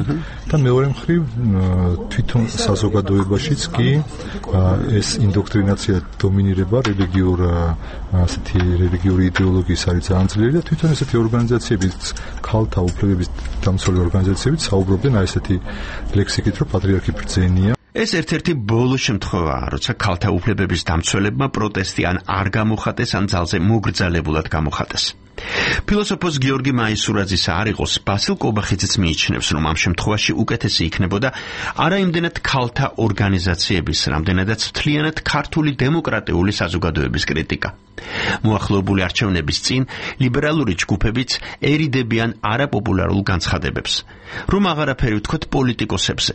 და მეორე მხრივ თვითონ საზოგადოებაშიც კი ეს ინდოქტრინაცია დომინირება რელიგიური იდეოლოგიის არის ძალიან ძლიერი და თვითონ ესეთი ორგანიზაციებიც ქალთა უფლებების დამცველი ორგანიზაციებიც საუბრობდნენ ესეთი ლექსიკით რომ პატრიარქი ბრძენია. ეს ერთ-ერთი ბოლო შემთხვევაა, როცა ქალთა უფლებების დამცველებმა პროტესტი ან არ გამოხატეს, ან ძალზე მოგრძალებულად გამოხატეს. ფილოსოფოს გიორგი მაისურაძისა არ იყოს, ბასილ კობახიძეც მიიჩნევს, რომ ამ შემთხვევაში უკეთესი იქნებოდა არა იმდენად ქალთა ორგანიზაციების, რამდენადაც მთლიანად ქართული დემოკრატიული საზოგადოების კრიტიკა. მოახლოებული არჩევნების წინ ლიბერალური ჯგუფებიც ერიდებიან არაპოპულარულ განცხადებებს, რომ აღარაფერი ვთქვათ პოლიტიკოსებზე.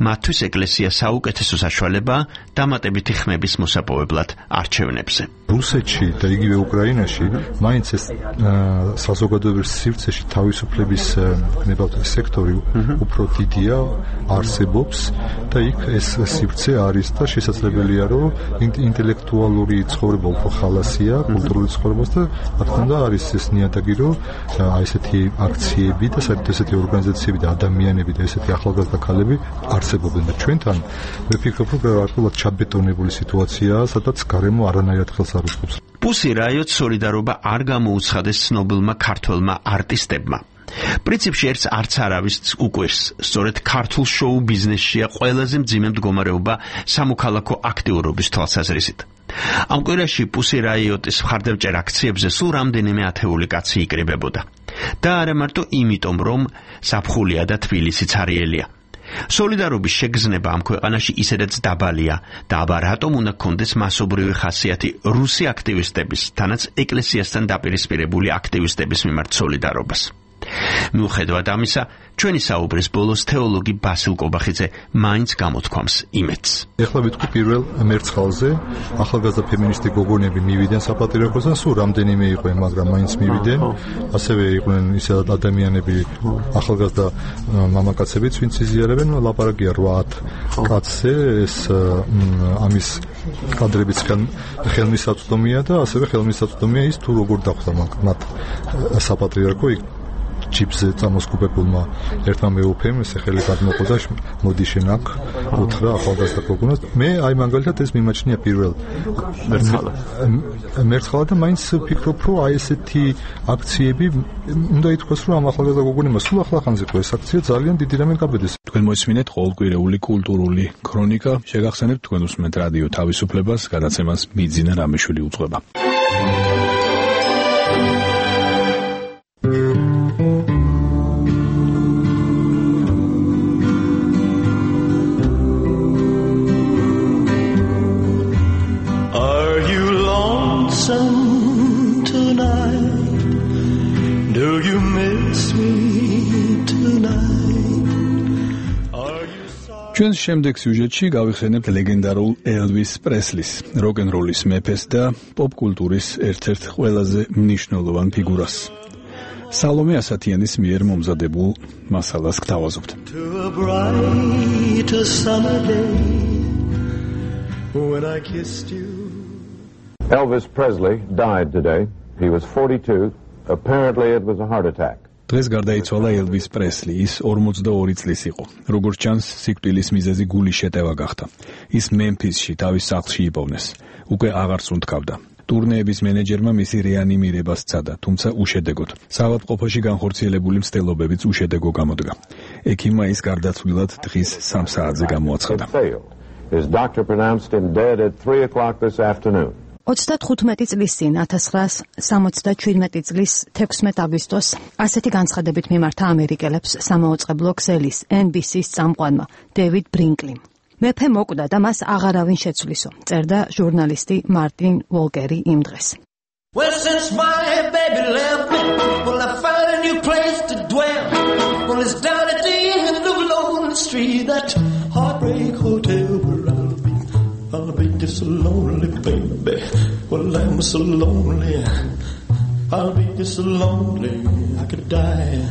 მათთვის ეკლესია საუკეთესო საშუალებაა დამატებითი ხმების მოსაპოვებლად არჩევნებზე. რუსეთში და იგივე უკრაინაში მაინც ეს საზოგადოების სივრცეში თავისუფლების სექტორი უფრო დიდია, არსებობს და იქ ეს სივრცე არის და შესაძლებელია რომ ინტელექტუალური ცხოვრება უფრო ხალასია, კულტურული ცხოვრებას და რა თქმა უნდა არის ეს ნიადაგი რომ ესეთი აქციები და საერთოდ ესეთი ორგანიზაციები და ადამიანები და ესეთი ახალგაზრდა ქალები არსებობენ და ჩვენთან მე ვფიქრობ რომ გარკვეულად ჩაბეტონებული სიტუაციაა, სადაც გარემო არანაირად ხელს არ უწყობს. პუსი რაიოტ სოლიდარობა არ გამოუცხადეს ცნობილმა ქართველმა არტისტებმა. პრინციპში ერთს არც არავის უკვირს, სწორედ ქართულ შოუ ბიზნესშია ყველაზე მძიმე მდგომარეობა სამოქალაქო აქტიურობის თვალსაზრისით. ამ კვირაში პუსი რაიოტის მხარდამჭერ აქციებზე სულ რამდენიმე ათეული კაცი იკრიბებოდა. და არა მარტო იმიტომ, რომ ზაფხულია და თბილისი ცარიელია. სოლიდარობის შეგრძნება ამ ქვეყანაში ისედაც დაბალია და აბა რატომ უნდა გქონდეს მასობრივი ხასიათი რუსი აქტივისტების, თანაც ეკლესიასთან დაპირისპირებული აქტივისტების მიმართ სოლიდარობას. მიუხედავად ამისა, ჩვენი საუბრის ბოლოს თეოლოგი ბასილ კობახიძე მაინც გამოთქვამს იმედს. ეხლა ვიტყვი პირველ მერცხალზე, ახალგაზრდა ფემინისტი გოგონები მივიდნენ საპატრიარქოსთან, სულ რამდენიმე იყვნენ, მაგრამ მაინც მივიდნენ. ასევე იყვნენ ისე ადამიანები, ახალგაზრდა მამაკაცებიც, ვინც იზიარებენ, ლაპარაკია 8 კაცზე, ეს ამის კადრებიც ხელმისაწვდომია და ასევე ხელმისაწვდომია ის თუ როგორ დახვდა მათ საპატრიარქო იქ ჯიპზე წამოსკუპებულმა ერთმა მეუფემ ესე ხელი გადმოყო და მოდი შენ აქ უთხრა ახალგაზრდა გოგონას. მე აი მაგალითად ეს მიმაჩნია პირველ მერცხალა და მაინც ვფიქრობ რომ აი ესეთი აქციები უნდა ითქვას რომ ამ ახალგაზრდა გოგონებმა სულ ახლახანს იყო ეს აქცია ძალიან დიდი რამე გაბედეს. თქვენ მოისმინეთ ყოველკვირეული კულტურული ქრონიკა, შეგახსენებთ თქვენ უსმენთ რადიო თავისუფლებას, გადაცემას მიძინა რამიშვილი უძღვება. ჩვენს შემდეგ სიუჟეტში გავიხსენებთ ლეგენდარულ ელვის პრესლის, როკ-ენ-როლის მეფეს და პოპ-კულტურის ერთ-ერთ ყველაზე მნიშვნელოვან ფიგურას. სალომე ასათიანის მიერ მომზადებულ მასალას გთავაზობთ. Elvis Presley died today. He was 42. Apparently it was a heart attack. დღეს გარდაიცვალა ელვის პრესლი, ის 42 წლის იყო. როგორც ჩანს, სიკვდილის მიზეზი გულის შეტევა გახდა. ის მემფისში თავის სახლში იპოვნეს. უკვე აღარ სუნთქავდა. ტურნეების მენეჯერმა მისი რეანიმირება სცადა, თუმცა უშედეგოდ. საავადმყოფოში განხორციელებული მცდელობებიც უშედეგო გამოდგა. ექიმმა ის გარდაცვლილად დღის 3 საათზე გამოაცხადა. His doctor pronounced him dead at 3 o'clock this afternoon. 35 წლის წინ 1977 წლის 16 აგვისტოს ასეთი განცხადებით მიმართა ამერიკელებს სამაუწყებლო ქსელის NBC-ს წამყვანმა დევიდ ბრინკლიმ. მეფე მოკვდა და მას აღარავინ შეცვლისო, წერდა ჟურნალისტი მარტინ ვოლკერი იმ დღეს. Well, since my baby left me, well, I found a new place to dwell. Well, it's down at the end of Lonely Street, that heartbreak hotel where I'll be just so lonely, baby. Well, I'm so lonely. I'll be just so lonely I could die.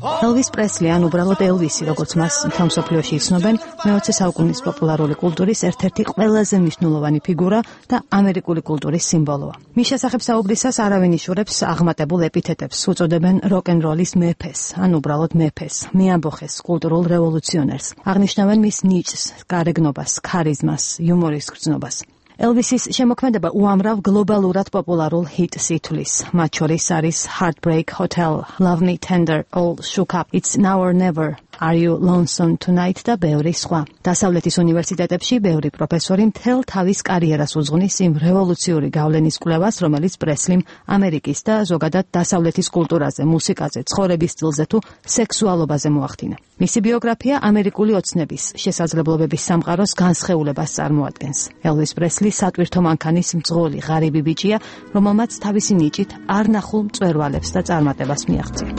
Elvis Presley ან უბრალოდ ელვისი, როგორც მას მთელ მსოფლიოში იცნობენ, მე-20 საუკუნის პოპულარული კულტურის ერთ-ერთი ყველაზე მნიშვნელოვანი ფიგურა და ამერიკული კულტურის სიმბოლოა. მის შესახებ საუბრისას არავინ იშურებს აღმატებულ ეპითეტებს, უწოდებენ როკ-ენ-როლის მეფეს, ან უბრალოდ მეფეს, მეამბოხეს, კულტურულ რევოლუციონერს. აღნიშნავენ მის ნიჭს, გარეგნობას, ქარიზმას, იუმორის გრძნობას. Elvis-ის შემოქმედება უამრავ გლობალურად პოპულარულ ჰიტს ითვლის. მათ შორის არის Heartbreak Hotel, Love Me Tender, All Shook Up, It's Now or Never, Are You Lonesome Tonight და ბევრი სხვა. დასავლეთის უნივერსიტეტებში ბევრი პროფესორი მთელ თავის კარიერას უძღვნის იმ რევოლუციური გავლენის კვლევას, რომელიც პრესლიმ ამერიკის და ზოგადად დასავლეთის კულტურაზე, მუსიკაზე, ცხოვრების სტილზე თუ სექსუალობაზე მოახდინა. მისი ბიოგრაფია ამერიკული ოცნების, შესაძლებლობების სამყაროს განსხეულებას წარმოადგენს. Elvis Presley სატვირთო მანქანის მძღოლი ღარიბი ბიჭია, რომელმაც თავისი ნიჭით არ ნახულ მწვერვალებს და წარმატებას მიაღწია.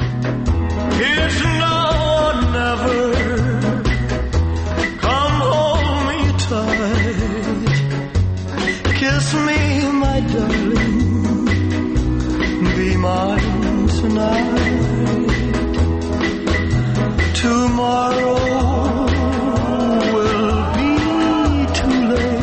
Come hold me tight, kiss me, my darling, be mine tonight. Tomorrow will be too late.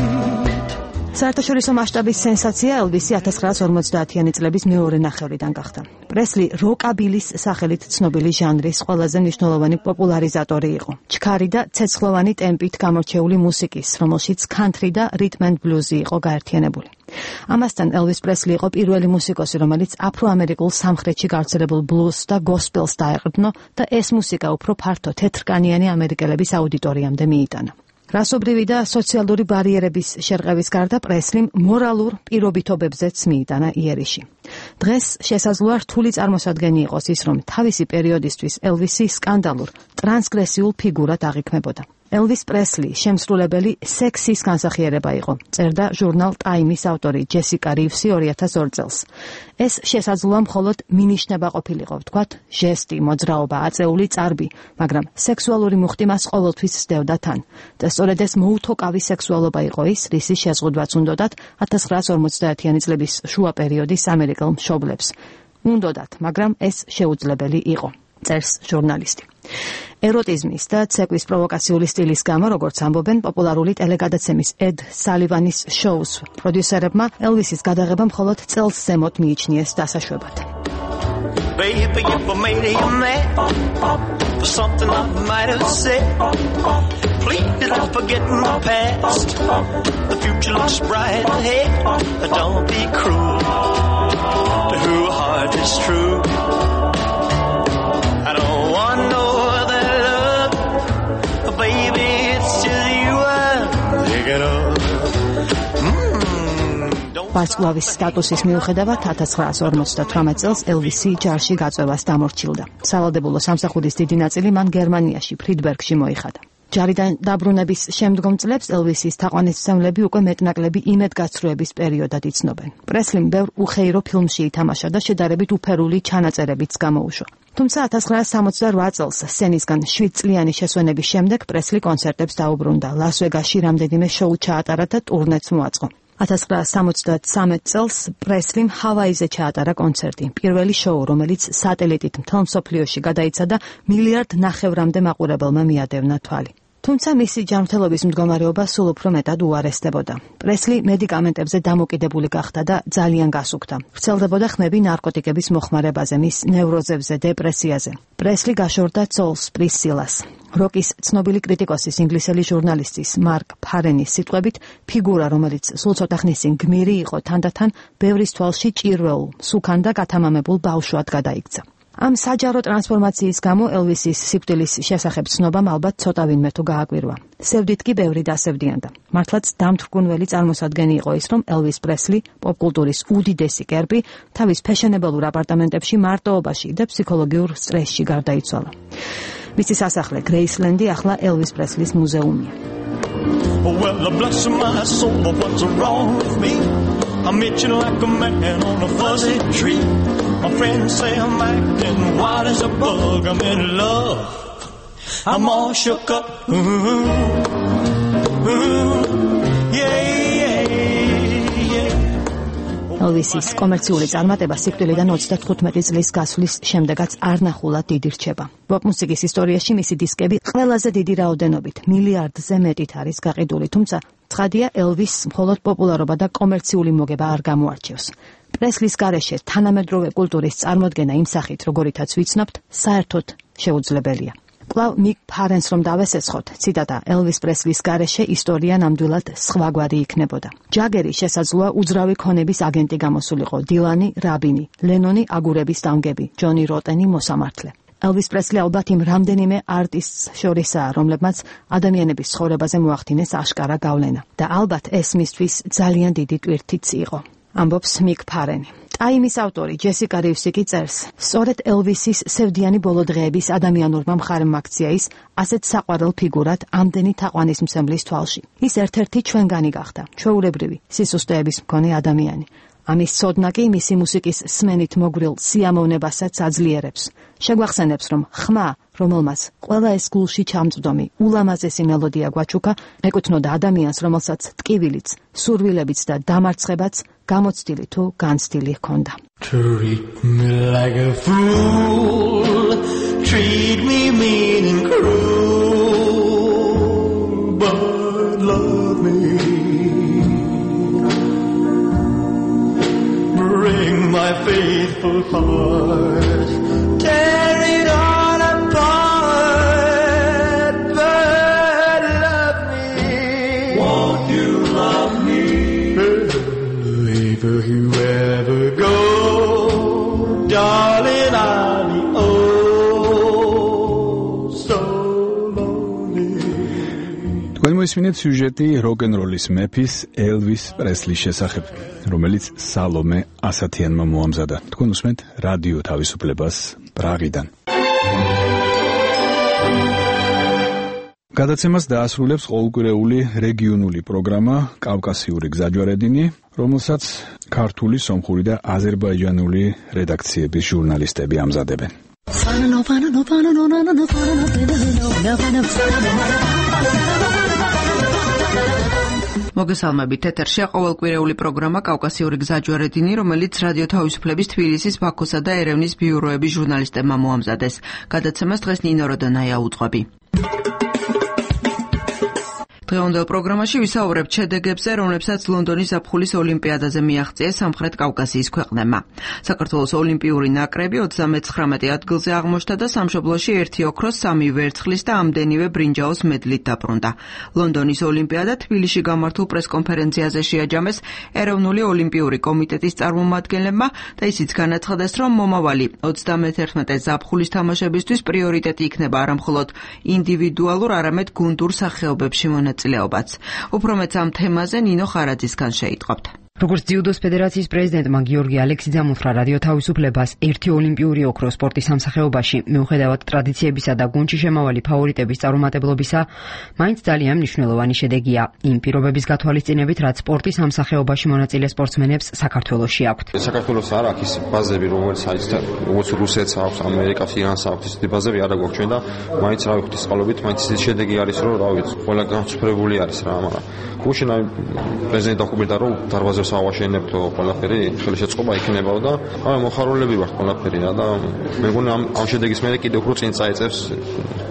საერთაშორისო მასშტაბის სენსაცია ელვისი 1950-იანი წლების მეორე ნახევრიდან გახდა. პრესლი როკაბილის სახელით ცნობილი ჟანრის ყველაზე მნიშვნელოვანი პოპულარიზატორი იყო. ჩქარი და ცეცხლოვანი ტემპით გამორჩეული მუსიკის, რომელშიც country და rhythm and blues იყო გაერთიანებული. ამასთან ელვის პრესლი იყო პირველი მუსიკოსი, რომელიც აფროამერიკულ სამხრეთში გავრცელებულ blues და gospel-ს დაეყრდნო და ეს მუსიკა უფრო ფართო თეთრკანიანი ამერიკელების აუდიტორიამდე მიიტანა. რასობრივი და სოციალური ბარიერების შერყევის გარდა პრესლიმ მორალურ პირობითობებზეც მიიტანა იერიში. დღეს შესაძლოა რთული წარმოსადგენი იყოს ის, რომ თავისი პერიოდისთვის ელვისი სკანდალურ, ტრანსგრესიულ ფიგურად აღიქმებოდა. Elvis Presley შემსრულებელი სექსის განსახიერება იყო, წერდა ჟურნალ Time-ის ავტორი ჯესიკა რივსი 2002 წელს. ეს შესაძლოა მხოლოდ მინიშნება ყოფილიყო, ვთქვათ, ჟესტი, მოძრაობა, აწეული წარბი, მაგრამ სექსუალური მუხტი მას ყოველთვის სდევდა თან. და სწორედ ეს მოუთოკავი სექსუალობა იყო ის, რისი შეზღუდვაც უნდოდათ 1950-იანი წლების შუა პერიოდის ამერიკელ მშობლებს. უნდოდათ, მაგრამ ეს შეუძლებელი იყო. წერს ჟურნალისტი. ეროტიზმის და ცეკვის პროვოკაციული სტილის გამო, როგორც ამბობენ, პოპულარული ტელეგადაცემის Ed Sullivan-ის შოუს პროდიუსერებმა ელვისის გადაღება მხოლოდ წელს ზემოთ მიიჩნიეს დასაშვებად. Baby, if I made you mad for something I might have said, please don't forget my past. The future looks bright ahead. Don't be cruel to whose heart is true. I don't want no other love, baby, it's just you I'm thinking of. ვარსკვლავის სტატუსის მიუხედავად 1958 წელს ელვისი ჯარში გაწევას დამორჩილდა. სავალდებულო სამსახურის დიდი ნაწილი მან გერმანიაში, ფრიდბერგში მოიხადა. ჯარიდან დაბრუნების შემდგომ წლებს ელვისის თაყვანისმცემლები უკვე მეტნაკლები იმედგაცრუების პერიოდად იცნობენ. პრესლიმ ბევრ უხეირო ფილმში ითამაშა და შედარებით უფერული ჩანაწერებიც გამოუშვა. თუმცა 1968 წელს სცენისგან 7 წლიანი შესვენების შემდეგ პრესლი კონცერტებს დაუბრუნდა. ლას-ვეგასში რამდენიმე შოუ ჩაატარა და ტურნეც მოაწყო. 1973 წელს პრესლიმ ჰავაიზე ჩაატარა კონცერტი. პირველი შოუ, რომელიც სატელიტით მთელ მსოფლიოში გადაიცა და 1.5 მილიარდ მაყურებელმა მიადევნა თვალი. თუმცა მისი ჯანმრთელობის მდგომარეობა სულ უფრო მეტად უარესდებოდა. პრესლი მედიკამენტებზე დამოკიდებული გახდა და ძალიან გასუქდა. ვრცელდებოდა ხმები ნარკოტიკების მოხმარებაზე, მის ნევროზებზე, დეპრესიაზე. პრესლი გაშორდა ძოლს პრისილას. როკის ცნობილი კრიტიკოსის, ინგლისელი ჟურნალისტის მარკ ფარენის სიტყვებით, ფიგურა, რომელიც სულ ცოტა ხნის წინ გმირი იყო, თანდათან ბევრის თვალში ჭირვეულ, სუქან და გათამამებულ ბავშვად გადაიქცა. ამ საჯარო ტრანსფორმაციის გამო ელვისის სიკვდილის შესახებ ცნობამ ალბათ ცოტა ვინმე თუ გააკვირვა. სევდით კი ბევრი დასევდიანდა. მართლაც დამთრგუნველი წარმოსადგენი იყო ის, რომ ელვის პრესლი, პოპკულტურის უდიდესი კერპი, თავის ფეშენებელურ აპარტამენტებში მარტოობაში და ფსიქოლოგიურ სტრესში გარდაიცვალა. მისი სასახლე გრეისლენდი ახლა ელვის პრესლის მუზეუმია. Well, bless my soul, but what's wrong with me? I'm itching like a man on a fuzzy tree. My friends say I'm acting wild as a bug. I'm in love. I'm all shook up. Yeah, yeah, yeah. ელვისის კომერციული წარმატება სიკვდილიდან 35 წლის გასვლის შემდეგაც არ ნახულად დიდი რჩება. პოპ მუსიკის ისტორიაში მისი დისკები ყველაზე დიდი რაოდენობით მილიარდზე მეტით არის გაყიდული, თუმცა ცხადია ელვის მხოლოდ პოპულარობა და კომერციული მოგება არ გამოარჩევს. პრესლის გარეშე თანამედროვე კულტურის წარმოდგენა იმ სახით, როგორითაც ვიცნობთ, საერთოდ შეუძლებელია. კვლავ მიკ ფარენს რომ დავესეცხოთ, ციტატა, ელვის პრესლის გარეშე ისტორია ნამდვილად სხვაგვარი იქნებოდა. ჯაგერი შესაძლოა უძრავი ქონების აგენტი გამოსულიყო, დილანი რაბინი, ლენონი აგურების დამგები, ჯონი როტენი მოსამართლე. ელვის პრესლი ალბათ იმ რამდენიმე არტისტს შორისაა, რომლებმაც ადამიანების ცხოვრებაზე მოახდინეს აშკარა გავლენა და ალბათ ეს მისთვის ძალიან დიდი ტვირთიც იყო. ამბობს მიკ ფარენი. ტაიმის ავტორი ჯესიკა რივსი კი წერს, სწორედ ელვისის სევდიანი ბოლო დღეების ადამიანურმა მხარემ აქცია ის ასეთ საყვარელ ფიგურად ამდენი თაყვანისმცემლის თვალში. ის ერთ-ერთი ჩვენგანი გახდა, ჩვეულებრივი, სისუსტეების მქონე ადამიანი. ამის ცოდნა კი მისი მუსიკის სმენით მოგრილ სიამოვნებასაც აძლიერებს. შეგვახსენებს, რომ ხმა, რომელმაც ყველა ეს გულში ჩამწვდომი ულამაზესი მელოდია გვაჩუქა, ეკუთვნოდა ადამიანს, რომელსაც ტკივილიც, სურვილებიც და დამარცხებაც გამოცდილი თუ განცდილი ჰქონდა. Treat me like a fool, treat me mean and cruel, but love me. Bring my faithful heart, tear it all apart, but love me. Won't you love me? Wherever you ever go, darling, I'll be oh so lonely. თქვენ მოისმინეთ სიუჟეტი როკ-ენ-როლის მეფის ელვის პრესლის შესახებ, რომელიც სალომე ასათიანმა მოამზადა. თქვენ უსმენთ რადიო თავისუფლებას პრაღიდან. გადაცემას დაასრულებს ყოველკვირეული რეგიონული პროგრამა კავკასიური გზაჯვარედინი, რომელსაც ქართული, სომხური და აზერბაიჯანული რედაქციების ჟურნალისტები ამზადებენ. მოგესალმებით, ეთერშია ყოველკვირეული პროგრამა კავკასიური გზაჯვარედინი, რომელიც რადიო თავისუფლების თბილისის, ბაქოსა და ერევნის ბიუროების ჟურნალისტებმა მოამზადეს. გადაცემას დღეს ნინო როდონაია უძღვები. დღევანდელ პროგრამაში ვისაუბრებთ შედეგებზე, რომლებსაც ლონდონის ზაფხულის ოლიმპიადაზე მიაღწიეს სამხრეთ კავკასიის ქვეყნებმა. საქართველოს ოლიმპიური ნაკრები 39 ადგილზე აღმოჩნდა და სამშობლოში 1 ოქროს, 3 ვერცხლის და ამდენივე ბრინჯაოს მედლით დაბრუნდა. ლონდონის ოლიმპიადა თბილისში გამართულ პრესკონფერენციაზე შეაჯამეს ეროვნული ოლიმპიური კომიტეტის წარმომადგენლებმა და ისიც განაცხადეს, რომ მომავალი 31 ზაფხულის თამაშებისთვის პრიორიტეტი იქნება არა მხოლოდ ინდივიდუალურ, არამედ გუნდურ სახეობებში მონაწილეობაც. უფრო მეც ამ თემაზე ნინო ხარაძისგან შეიტყობთ. როგორც ძიუდოს ფედერაციის პრეზიდენტმა გიორგი ალექსიძემ უთხრა რადიო თავისუფლებას, ერთი ოლიმპიური ოქრო სპორტის სამსახეობაში, მიუხედავად ტრადიციებისა და გუნდში შემავალი ფავორიტების წარუმატებლობისა, მაინც ძალიან მნიშვნელოვანი შედეგია იმ პირობების გათვალისწინებით, რაც სპორტის სამსახეობაში მონაწილე სპორტსმენებს საქართველოში აქვთ. საქართველოს არ აქვს ის ბაზები, როგორც რუსეთს აქვს, ამერიკას, ირანს აქვს ისეთი ბაზები არ აქვს ჩვენ და მაინც რა ვიხთ წყალობით, მაინც ის შედეგი არის, რომ რა ვიცი, ყველა განსხვავებული არის რა, მაგრამ გუშინ პრეზიდენტი დოკუმენტა რომ დარბაზებს ავაშენებთ ყველაფერი, ხელი შეწყობა იქნებაო და მოხარულები ვართ ყველაფერია და მე მგონი ამ შედეგის მერე კიდევ უფრო წინ წაეწევს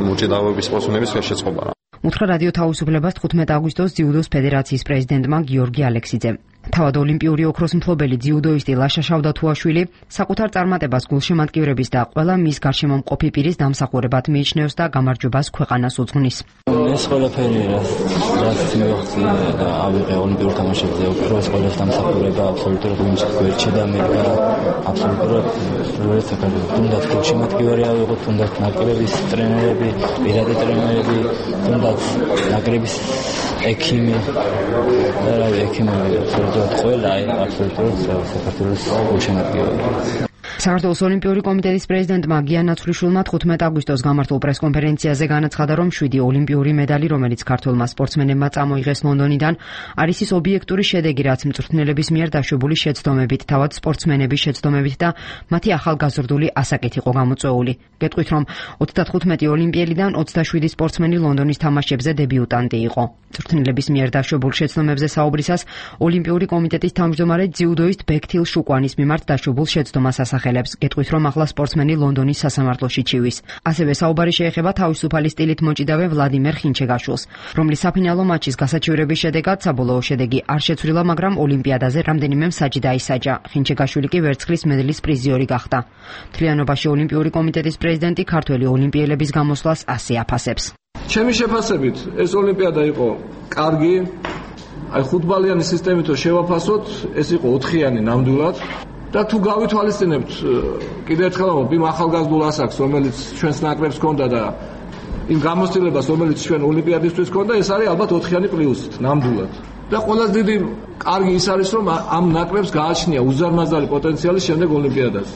მოჭედავების სპორტსმენების ხელი შეწყობა რა. უთხრა რადიო თავისუფლებას 15 აგვისტოს ძიუდოს ფედერაციის პრეზიდენტმა გიორგი ალექსიძემ. თავად ოლიმპიური ოქროს მფლობელი ძიუდოისტი ლაშა შავდათუაშვილი საკუთარ წარმატებას გულშემატკივრების და ყველა მის გარშემო მყოფი პირის დამსახურებად მიიჩნევს და გამარჯვებას ქვეყანას უძღვნის. ეს ყველაფერი რაც მივახცია და ავიღე ოლიმპიურ თამაშებზე ოქროს ყველას დამსახურება აბსოლუტურად უიმჩნევა და მე აბსოლუტურად როგორც საქართველოს თუნდაც გულშემატკივარი ავიღოთ, თუნდაც ნაკრების ტრენერები, პირადი ტრენერები, თუნდაც ნაკრების ექიმი და რა ექიმები აბსოლუტურად ყველა აბსოლუტურად საქართველოს გულშემატკივარი. საქართველოს ოლიმპიური კომიტეტის პრეზიდენტმა გია ნაცვლიშვილმა 15 აგვისტოს გამართულ პრესკონფერენციაზე განაცხადა, რომ 7 ოლიმპიური медаლი, რომელიც ქართველმა სპორტსმენებმა წამოიღეს ლონდონიდან, არის ის ობიექტური შედეგი, რაც მწვრთნელების მიერ დაშვებული შეცდომებით, თავად სპორტსმენების შეცდომებით და მათი ახალგაზრდული ასაკით იყო გამოწვეული. გეტყვით, რომ 95 ოლიმპიელიდან 27 სპორტსმენი ლონდონის თამაშებზე დებიუტანტი იყო. მწვრთნელების მიერ დაშვებულ შეცდომებზე საუბრისას ოლიმპიური კომიტეტის თავმჯდომარე ძიუდოისტ ბექთილ შუკვანის მიმართ დაშვებულ შეცდომას ასახელებს. გეტყვით, რომ ახლა სპორტსმენი ლონდონის სასამართლოში ჩივის. ასევე საუბარი შეეხება თავისუფალი სტილით მოჭიდავე ვლადიმერ ხინჩეგაშვილს, რომლის საფინალო მატჩის გასაჩივრების შედეგად საბოლოო შედეგი არ შეცვლილა, მაგრამ ოლიმპიადაზე რამდენიმე მსაჯი დაისაჯა. ხინჩეგაშვილი კი ვერცხლის მედლის პრიზიორი გახდა. მთლიანობაში ოლიმპიური კომიტეტის პრეზიდენტი ქართველი ოლიმპიელების გამოსვლას ასე აფასებს. ჩემი შეფასებით ეს ოლიმპიადა იყო კარგი. აი ხუთბალიანი სისტემით რო შევაფასოთ, ეს იყო 4-იანი ნამდვილად. და თუ გავითვალისწინებთ კიდევ ერთხელ იმ ახალგაზრდულ ასაკს, რომელიც ჩვენს ნაკრებს ჰქონდა და იმ გამოცდილებას, რომელიც ჩვენ ოლიმპიადისთვის ჰქონდა, ეს არის ალბათ 4-იანი პლუსით ნამდვილად. და ყველაზე დიდი კარგი ის არის, რომ ამ ნაკრებს გააჩნია უზარმაზარი პოტენციალი შემდეგ ოლიმპიადაზე.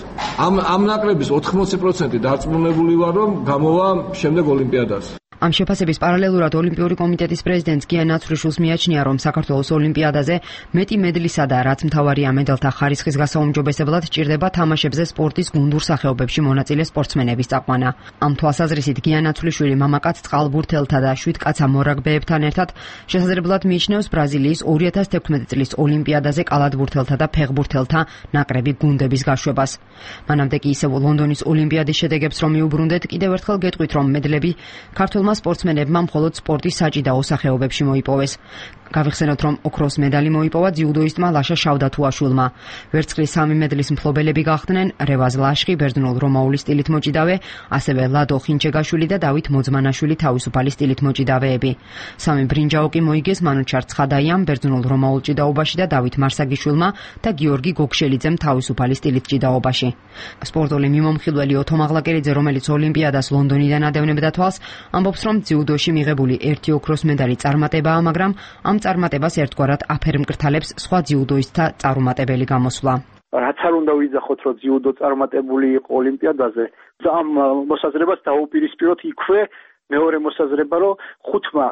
ამ ნაკრების 80% დარწმუნებული ვარ, რომ გამოვა შემდეგ ოლიმპიადაზე. ამ შეფასების პარალელურად ოლიმპიური კომიტეტის პრეზიდენტს გია ნაცვლიშვილს მიაჩნია, რომ საქართველოს ოლიმპიადაზე მეტი მედლისა და რაც მთავარია მედალთა ხარისხის გასაუმჯობესებლად ჭირდება თამაშებზე სპორტის გუნდურ სახეობებში მონაწილე სპორტსმენების წაყვანა. ამ თვალსაზრისით გია ნაცვლიშვილი მამაკაც წყალბურთელთა და 7 კაცა მორაგბეებთან ერთად შესაძლებლად მიიჩნევს ბრაზილიის 2016 წლის ოლიმპიადაზე კალათბურთელთა და ფეხბურთელთა ნაკრები გუნდების გაშვებას. მანამდე კი ისევ ლონდონის ოლიმპიადის შედეგებს რომ მიუბრუნდეთ, კიდევ ერთხელ გეტყვით, რომ მედლები ქართულმა სპორტსმენებმა მხოლოდ სპორტის საჭიდაო სახეობებში მოიპოვეს. გავიხსენოთ, რომ ოქროს медаლი მოიპოვა ძიუდოისტმა ლაშა შავდათუაშვილმა. ვერცხლის 3 медаლის მფლობელები გახდნენ რევაზ ლაშხი, ბერძნულ-რომაული სტილით მოჭიდავე, ასევე ლადო ხინჩეგაშვილი და დავით მოძმანაშვილი თავისუფალი სტილით მოჭიდავეები. 3 ბრინჯაო კი მოიგეს მანუჩარ ცხადაიამ ბერძნულ-რომაულ ჭიდაობაში და დავით მარსაგიშვილმა და გიორგი გოგშელიძემ თავისუფალი სტილით ჭიდაობაში. სპორტული მიმომხილველი ოთო მაღლაკერიძე, რომელიც ოლიმპიადას ლონდონიდან ადევნებდა თვალს, ამბობს, რომ ძიუდოში მიღებული 1 ოქროს медаლი წარმატებაა, მაგრამ ამ წარმატებას ერთგვარად აფერმკრთალებს სხვა ძიუდოისტთა წარუმატებელი გამოსვლა. რაც არ უნდა ვიძახოთ, რომ ძიუდო წარმატებული იყო ოლიმპიადაზე, ამ მოსაზრებას დაუპირისპიროთ იქვე მეორე მოსაზრება, რომ 5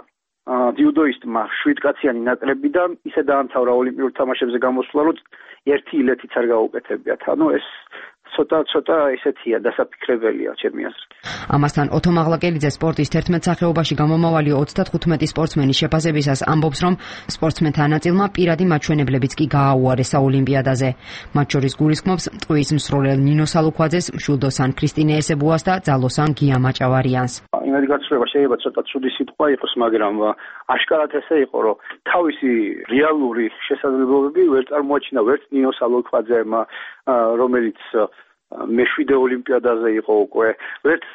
ძიუდოისტმა 7 კაციანი ნაკრებიდან ისე დაამთავრა ოლიმპიურ თამაშებზე გამოსვლა, რომ ერთი ილეთიც არ გაუკეთებიათ. ანუ ეს ცოტა ესეთია, დასაფიქრებელია ჩემი აზრით. ამასთან ოთო მაღლაკერიძე სპორტის 11 სახეობაში გამომავალი 35 სპორტსმენის შეფასებისას ამბობს, რომ სპორტსმენთა ნაწილმა პირადი მაჩვენებლებიც კი გააუარესა ოლიმპიადაზე. მათ შორის გულისხმობს ტყუის მსროლელ ნინო სალუქვაძეს, მშვილდოსან ქრისტინე ესებუას და ძალოსან გია მაჭავარიანს. იმედი გაცვლება შეიძლება ცოტა ცუდი სიტყვა იყოს, მაგრამ აშკარად ესე იყო, რომ თავისი რეალური შესაძლებლობები ვერ წარმოაჩინა ვერც ნინო სალუქვაძემ, რომელიც მეშვიდე ოლიმპიადაზე იყო უკვე, ვერც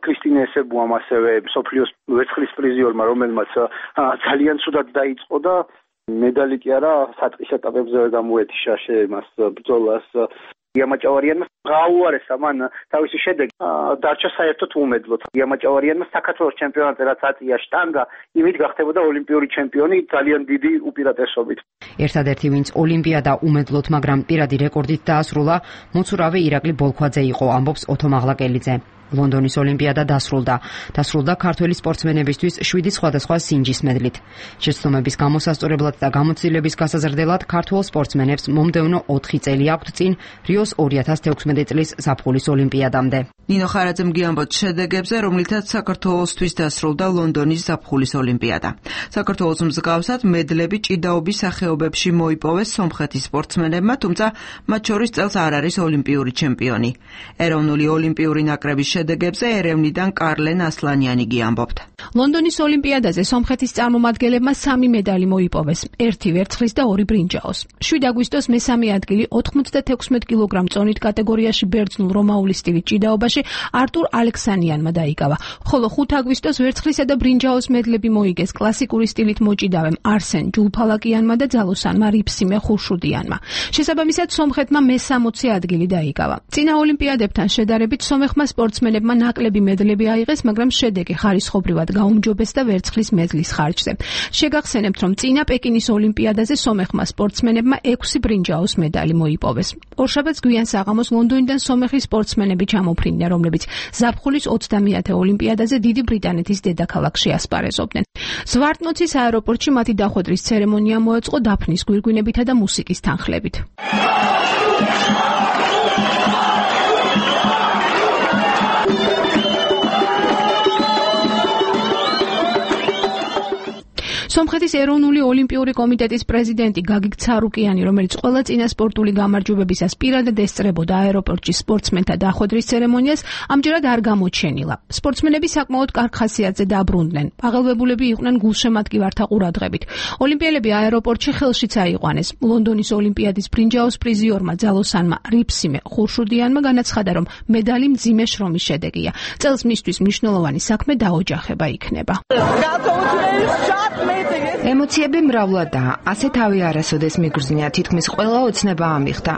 ქრისტინე ესებუამ, ასევე მსოფლიოს ვერცხლის პრიზიორმა, რომელმაც ძალიან ცუდად დაიწყო და медаლი კი არა, საწყის ეტაპებზე გამოეთიშა მას ბრძოლას. გიამაჭავარიანმა გააუარესა მან თავისი შედეგი, დარჩა საერთოდ უმედლოდ. გიამაჭავარიანმა საქართველოს ჩემპიონატზე რაც აწია შტანგა, იმით გახდებოდა ოლიმპიური ჩემპიონი ძალიან დიდი უპირატესობით. ერთადერთი, ვინც ოლიმპიადა უმედლოდ, მაგრამ პირადი რეკორდით დაასრულა, მოცურავე ირაკლი ბოლქვაძე იყო, ამბობს ოთო მაღლაკერიძე. ლონდონის ოლიმპიადა დასრულდა ქართველი სპორტსმენებისთვის 7 სხვადასხვა სინჯის მედლით. შეცდომების გამოსასწორებლად და გამოცდილების გასაზრდელად ქართველ სპორტსმენებს მომდევნო 4 წელი აქვთ წინ რიოს 2016 წლის ზაფხულის ოლიმპიადამდე. ნინო ხარაძემ გიამბოთ შედეგებზე, რომლითაც საქართველოსთვის დასრულდა ლონდონის ზაფხულის ოლიმპიადა. საქართველოს მსგავსად მედლები ჭიდაობის სახეობებში მოიპოვეს სომხეთის სპორტსმენებმა, თუმცა მათ შორის წელს არ არის ოლიმპიური ჩემპიონი. ეროვნული ოლიმპიური ნაკრების შედეგებზე ერევნიდან კარლენ ასლანიანი გიამბობთ. ლონდონის ოლიმპიადაზე სომხეთის წარმომადგენლებმა 3 медаლი მოიპოვეს, 1 ვერცხლის და 2 ბრინჯაოს. 7 აგვისტოს მესამე ადგილი 96 კილოგრამ წონით კატეგორიაში ბერძნულ რომაული სტილის ჭიდაობაში არტურ ალექსანიანმა დაიკავა, ხოლო 5 აგვისტოს ვერცხლისა და ბრინჯაოს მედლები მოიგეს კლასიკური სტილით მოჭიდავემ არსენ ჯულფალაკიანმა და ძალოსანმა რიფსიმე ხურშუდიანმა. შესაბამისად სომხეთმა მე-60 ადგილი დაიკავა. წინა ოლიმპიადებთან შედარებით სომეხმა სპორტსმენებმა სპორტსმენებმა ნაკლები მედლები აიღეს, მაგრამ შედეგი ხარისხობრივად გაუმჯობეს და ვერცხლის მედლის ხარჯზე. შეგახსენებთ, რომ წინა პეკინის ოლიმპიადაზე სომეხმა სპორტსმენებმა 6 ბრინჯაოს медали მოიპოვეს. ორშაბათს გვიან საღამოს ლონდონიდან სომეხი სპორტსმენები ჩამოფრინდნენ, რომლებიც ზაფხულის 30-ე ოლიმპიადაზე დიდი ბრიტანეთის დედაქალაქში ასპარეზობდნენ. ზვარტნოცის აეროპორტში მათი დახვედრის ცერემონია მოეწყო დაფნის გვირგვინებითა და მუსიკის თანხლებით. სომხეთის ეროვნული ოლიმპიური კომიტეტის პრეზიდენტი გაგիկ ცარუკიანი, რომელიც ყველა წინა სპორტული გამარჯვებებისას პირადად ესწრებოდა აეროპორტში სპორტსმენთა დახვედრის ცერემონიას, ამჯერად არ გამოჩენილა. სპორტსმენები საკმაოდ კარგ ხასიათზე დაბრუნდნენ. აღელვებულები იყვნენ გულშემატკივართა ყურადღებით. ოლიმპიელები აეროპორტში ხელშიც აიყვანეს. ლონდონის ოლიმპიადის ბრინჯაოს პრიზიორმა ძალოსანმა რიფსიმე ხურშუდიანმა განაცხადა, რომ медали მძიმე შრომის შედეგია. წელს მისთვის მნიშვნელოვანი საქმე დაოჯახება იქნება. ემოციები მრავლადაა, ასე თავი არასოდეს მიგრძნია, თითქმის ყველა ოცნება ამიხდა.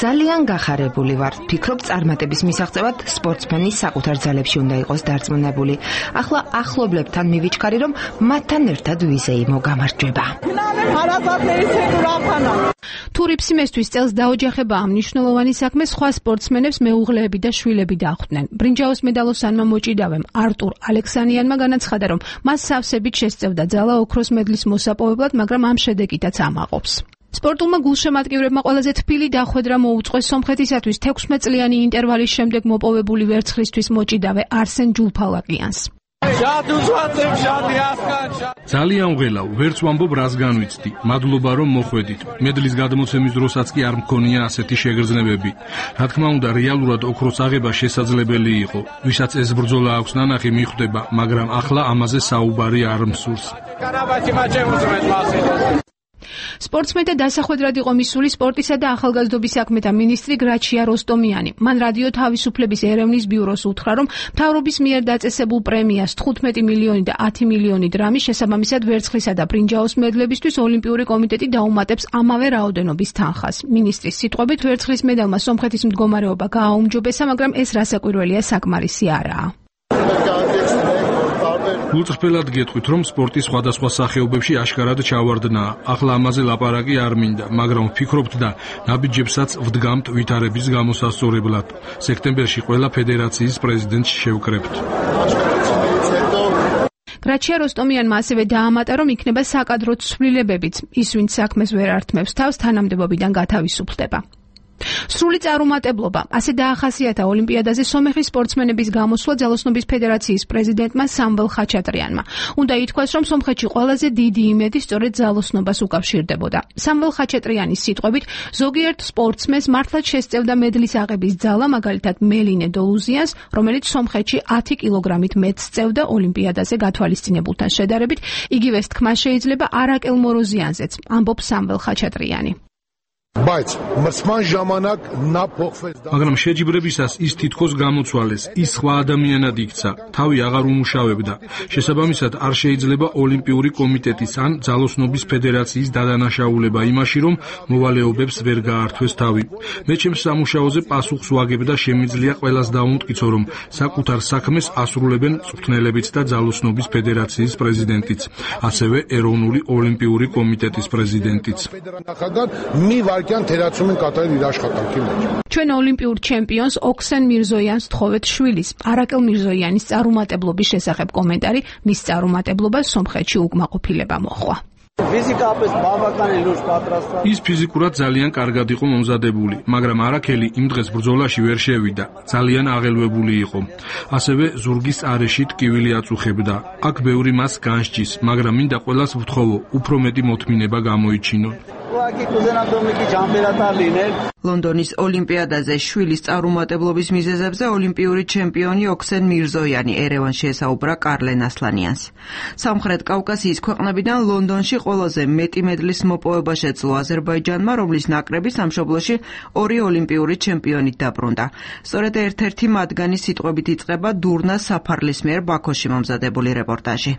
ძალიან გახარებული ვარ, ფიქრობ წარმატების მისაღწევად სპორტსმენი საკუთარ ძალებში უნდა იყოს დარწმუნებული. ახლა ახლობლებთან მივიჩქარი, რომ მათთან ერთად ვიზეიმო გამარჯვება. თუ რიფსიმესთვის წელს დაოჯახებაა მნიშვნელოვანი საქმე, სხვა სპორტსმენებს მეუღლეები და შვილები დახვდნენ. ბრინჯაოს მედალოსანმა მოჭიდავემ არტურ ალექსანიანმა განაცხადა, რომ მას სავსებით შესწევდა ძალა ოქროს მედლის მოსაპოვებლად, მაგრამ ამ შედეგითაც ამაყობს. სპორტულმა გულშემატკივრებმა ყველაზე თბილი დახვედრა მოუწყვეს სომხეთისათვის 16 წლიანი ინტერვალის შემდეგ მოპოვებული ვერცხლისთვის მოჭიდავე არსენ ჯულფალაკიანს. ძალიან ვღელავ, ვერც ვამბობ რას განვიცდი. მადლობა რომ მოხვედით. მედლის გადმოცემის დროსაც კი არ მქონია ასეთი შეგრძნებები. რა თქმა უნდა, რეალურად ოქროს აღება შესაძლებელი იყო. ვისაც ეს ბრძოლა აქვს ნანახი მიხვდება, მაგრამ ახლა ამაზე საუბარი არ მსურს. სპორტსმენთა დასახვედრად იყო მისული სპორტისა და ახალგაზრდობის საქმეთა მინისტრი გრაჩია როსტომიანი. მან რადიო თავისუფლების ერევნის ბიუროს უთხრა, რომ მთავრობის მიერ დაწესებულ პრემიას 15 მილიონი და 10 მილიონი დრამის შესაბამისად ვერცხლისა და ბრინჯაოს მედლებისთვის ოლიმპიური კომიტეტი დაუმატებს ამავე რაოდენობის თანხას. მინისტრის სიტყვებით, ვერცხლის მედალმა სომხეთის მდგომარეობა გააუმჯობესა, მაგრამ ეს რასაკვირველია საკმარისი არაა. გულწრფელად გეტყვით, რომ სპორტის სხვადასხვა სახეობებში აშკარად ჩავარდნაა. ახლა ამაზე ლაპარაკი არ მინდა, მაგრამ ვფიქრობთ და ნაბიჯებსაც ვდგამთ ვითარების გამოსასწორებლად. სექტემბერში ყველა ფედერაციის პრეზიდენტს შევკრებთ. გრაჩია როსტომიანმა ასევე დაამატა, რომ იქნება საკადრო ცვლილებებიც. ის, ვინც საქმეს ვერ ართმევს თავს, თანამდებობიდან გათავისუფლდება. სრული წარუმატებლობა, ასე დაახასიათა ოლიმპიადაზე სომეხის სპორტსმენების გამოსვლა ძალოსნობის ფედერაციის პრეზიდენტმა სამվել ხაჩატრიანმა. უნდა ითქვას, რომ სომხეთში ყველაზე დიდი იმედი სწორედ ძალოსნობას უკავშირდებოდა. სამվել ხაჩატრიანის სიტყვებით, ზოგიერთ სპორტსმენს მართლაც შესწევდა მედლის აღების ძალა, მაგალითად მელინე დოლუზიანს, რომელიც სომხეთში 10 კილოგრამით მეტს სწევდა ოლიმპიადაზე გათვალისწინებულთან შედარებით, იგივეს თქმა შეიძლება არაკელ მოროზიანზეც, ამბობს სამվել ხაჩატრიანი. მაგრამ შეჯიბრებისას ის თითქოს გამოცვალეს, ის სხვა ადამიანად იქცა, თავი აღარ უმუშავებდა. შესაბამისად არ შეიძლება ოლიმპიური კომიტეტის ან ძალოსნობის ფედერაციის დადანაშაულება იმაში, რომ მოვალეობებს ვერ გაართვეს თავი. მე ჩემს სამუშაოზე პასუხს ვაგებ და შემიძლია ყველას დავუმტკიცო, რომ საკუთარ საქმეს ასრულებენ მწვრთნელებიც და ძალოსნობის ფედერაციის პრეზიდენტიც, ასევე ეროვნული ოლიმპიური კომიტეტის პრეზიდენტიც. ჩვენ ოლიმპიურ ჩემპიონს ოქსენ მირზოიანს თხოვეთ შვილის. არაკელ მირზოიანის წარუმატებლობის შესახებ კომენტარი მის წარუმატებლობას სომხეთში უკმაყოფილება მოჰყვა. ის ფიზიკურად ძალიან კარგად იყო მომზადებული, მაგრამ არაქელი იმ დღეს ბრძოლაში ვერ შევიდა. ძალიან აღელვებული იყო. ასევე ზურგის არეში ტკივილი აწუხებდა. აქ ბევრი მას განსჭის, მაგრამ მინდა ყველას ვთხოვო, უფრო მეტი მოთმინება გამოიჩინონ. ლონდონის ოლიმპიადაზე შვილის წარუმატებლობის მიზეზებზე ოლიმპიური ჩემპიონი ოქსენ მირზოიანი ერევანში ესაუბრა კარლენ ასლანიანს. სამხრეთ კავკასიის ქვეყნებიდან ლონდონში ყველაზე მეტი მედლის მოპოვება შეძლო აზერბაიჯანმა, რომლის ნაკრები სამშობლოში 2 ოლიმპიური ჩემპიონით დაბრუნდა. სწორედ ერთ-ერთი მათგანი სიტყვებით იწყება დურნა საფარლის მიერ ბაქოში მომზადებული რეპორტაჟი.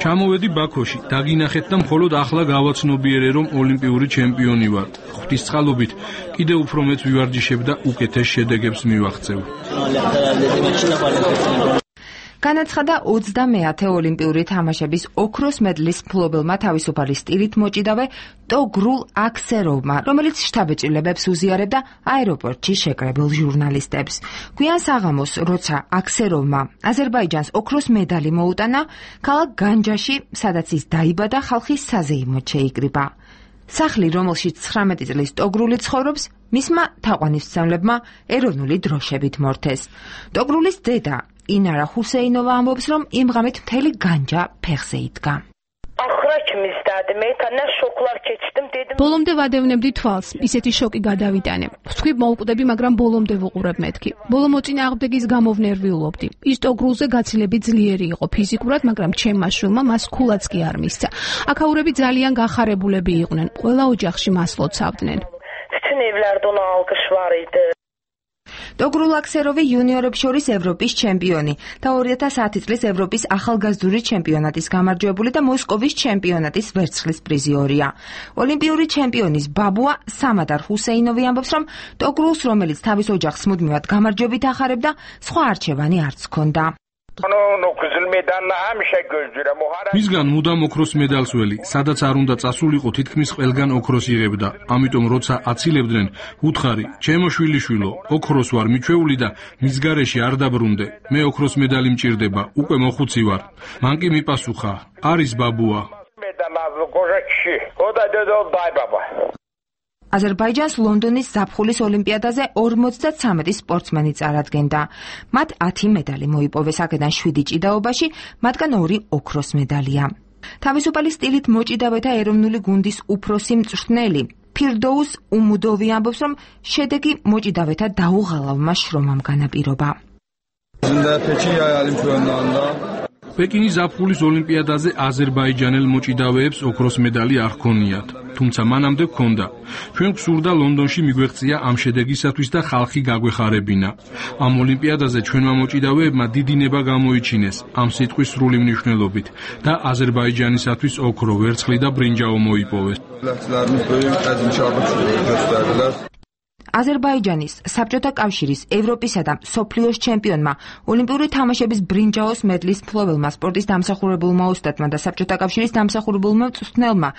ჩამოვედი ბაქოში, დაგინახეთ და მხოლოდ ახლა გავაცნობიერე, რომ ოლიმპიური ჩემპიონი ვარ. ღვთისწყალობით კიდევ უფრო მეც ვივარჯიშებ და უკეთეს შედეგებს მივაღწევ. განაცხადა 20-ე ოლიმპიური თამაშების ოქროს მედლის მფლობელმა თავისუფალი სტილით მოჭიდავე ტოგრულ აქსეროვმა, რომელიც შთაბეჭდილებებს უზიარებდა აეროპორტში შეკრებილ ჟურნალისტებს. გვიან საღამოს, როცა აქსეროვმა აზერბაიჯანს ოქროს მედალი მოუტანა, ქალაქ განჯაში, სადაც ის დაიბადა, ხალხის საზეიმოდ შეიკრიბა. სახლი, რომელშიც 19 წლის ტოგრული ცხოვრობს, მისმა თაყვანისმცემლებმა ეროვნული დროშებით მორთეს. ტოგრულის დედა ინარა ჰუსეინოვა ამბობს, რომ იმ ღამით მთელი განჯა ფეხზე იდგა. ბოლომდე ვადევნებდი თვალს, ისეთი შოკი გადავიტანე. ვთქვი მოვკვდები, მაგრამ ბოლომდე ვუყურებ მეთქი. ბოლო მოწინააღმდეგის გამო ვნერვიულობდი. ის ტოგრულზე გაცილებით ძლიერი იყო ფიზიკურად, მაგრამ ჩემმა შვილმა მას ქულაც კი არ მისცა. აქაურები ძალიან გახარებულები იყვნენ, ყველა ოჯახში მას ლოცავდნენ. ტოგრულ აქსეროვი იუნიორებს შორის ევროპის ჩემპიონი და 2010 წლის ევროპის ახალგაზრდული ჩემპიონატის გამარჯვებული და მოსკოვის ჩემპიონატის ვერცხლის პრიზიორია. ოლიმპიური ჩემპიონის ბაბუა სამადარ ჰუსეინოვი ამბობს, რომ ტოგრულს, რომელიც თავის ოჯახს მუდმივად გამარჯვებით ახარებდა, სხვა არჩევანი არც ჰქონდა. მისგან მუდამ ოქროს მედალს ველი, სადაც არ უნდა წასულიყო, თითქმის ყველგან ოქროს იღებდა. ამიტომ როცა აცილებდნენ, უთხარი, ჩემო შვილიშვილო, ოქროს ვარ მიჩვეული და მის გარეშე არ დაბრუნდე. მე ოქროს მედალი მჭირდება, უკვე მოხუცი ვარ. მან კი მიპასუხა, არის ბაბუა. აზერბაიჯანს ლონდონის ზაფხულის ოლიმპიადაზე 53 სპორტსმენი წარადგენდა. მათ 10 медали მოიპოვეს, აქედან 7 ჭიდაობაში, მათგან 2 ოქროს медалია. თავისუფალი სტილით მოჭიდავეთა ეროვნული გუნდის უფროსი მწვრთნელი ფირდოუს უმუდოვი ამბობს, რომ შედეგი მოჭიდავეთა დაუღალავმა შრომამ განაპირობა. პეკინის ზაფხულის ოლიმპიადაზე აზერბაიჯანელ მოჭიდავეებს ოქროს медали არ ჰქონიათ, თუმცა მანამდე ჰქონდა. ჩვენ გვსურდა ლონდონში მიგვეღწია ამ შედეგისათვის და ხალხი გაგვეხარებინა. ამ ოლიმპიადაზე ჩვენმა მოჭიდავეებმა დიდი ნება გამოიჩინეს ამ სიტყვის სრული მნიშვნელობით და აზერბაიჯანისათვის ოქრო, ვერცხლი და ბრინჯაო მოიპოვეს. აზერბაიჯანის საბჭოთა კავშირის, ევროპისა და მსოფლიოს ჩემპიონმა, ოლიმპიური თამაშების ბრინჯაოს მედლის მფლობელმა, სპორტის დამსახურებულმა ოსტატმა და საბჭოთა კავშირის დამსახურებულმა მწვრთნელმა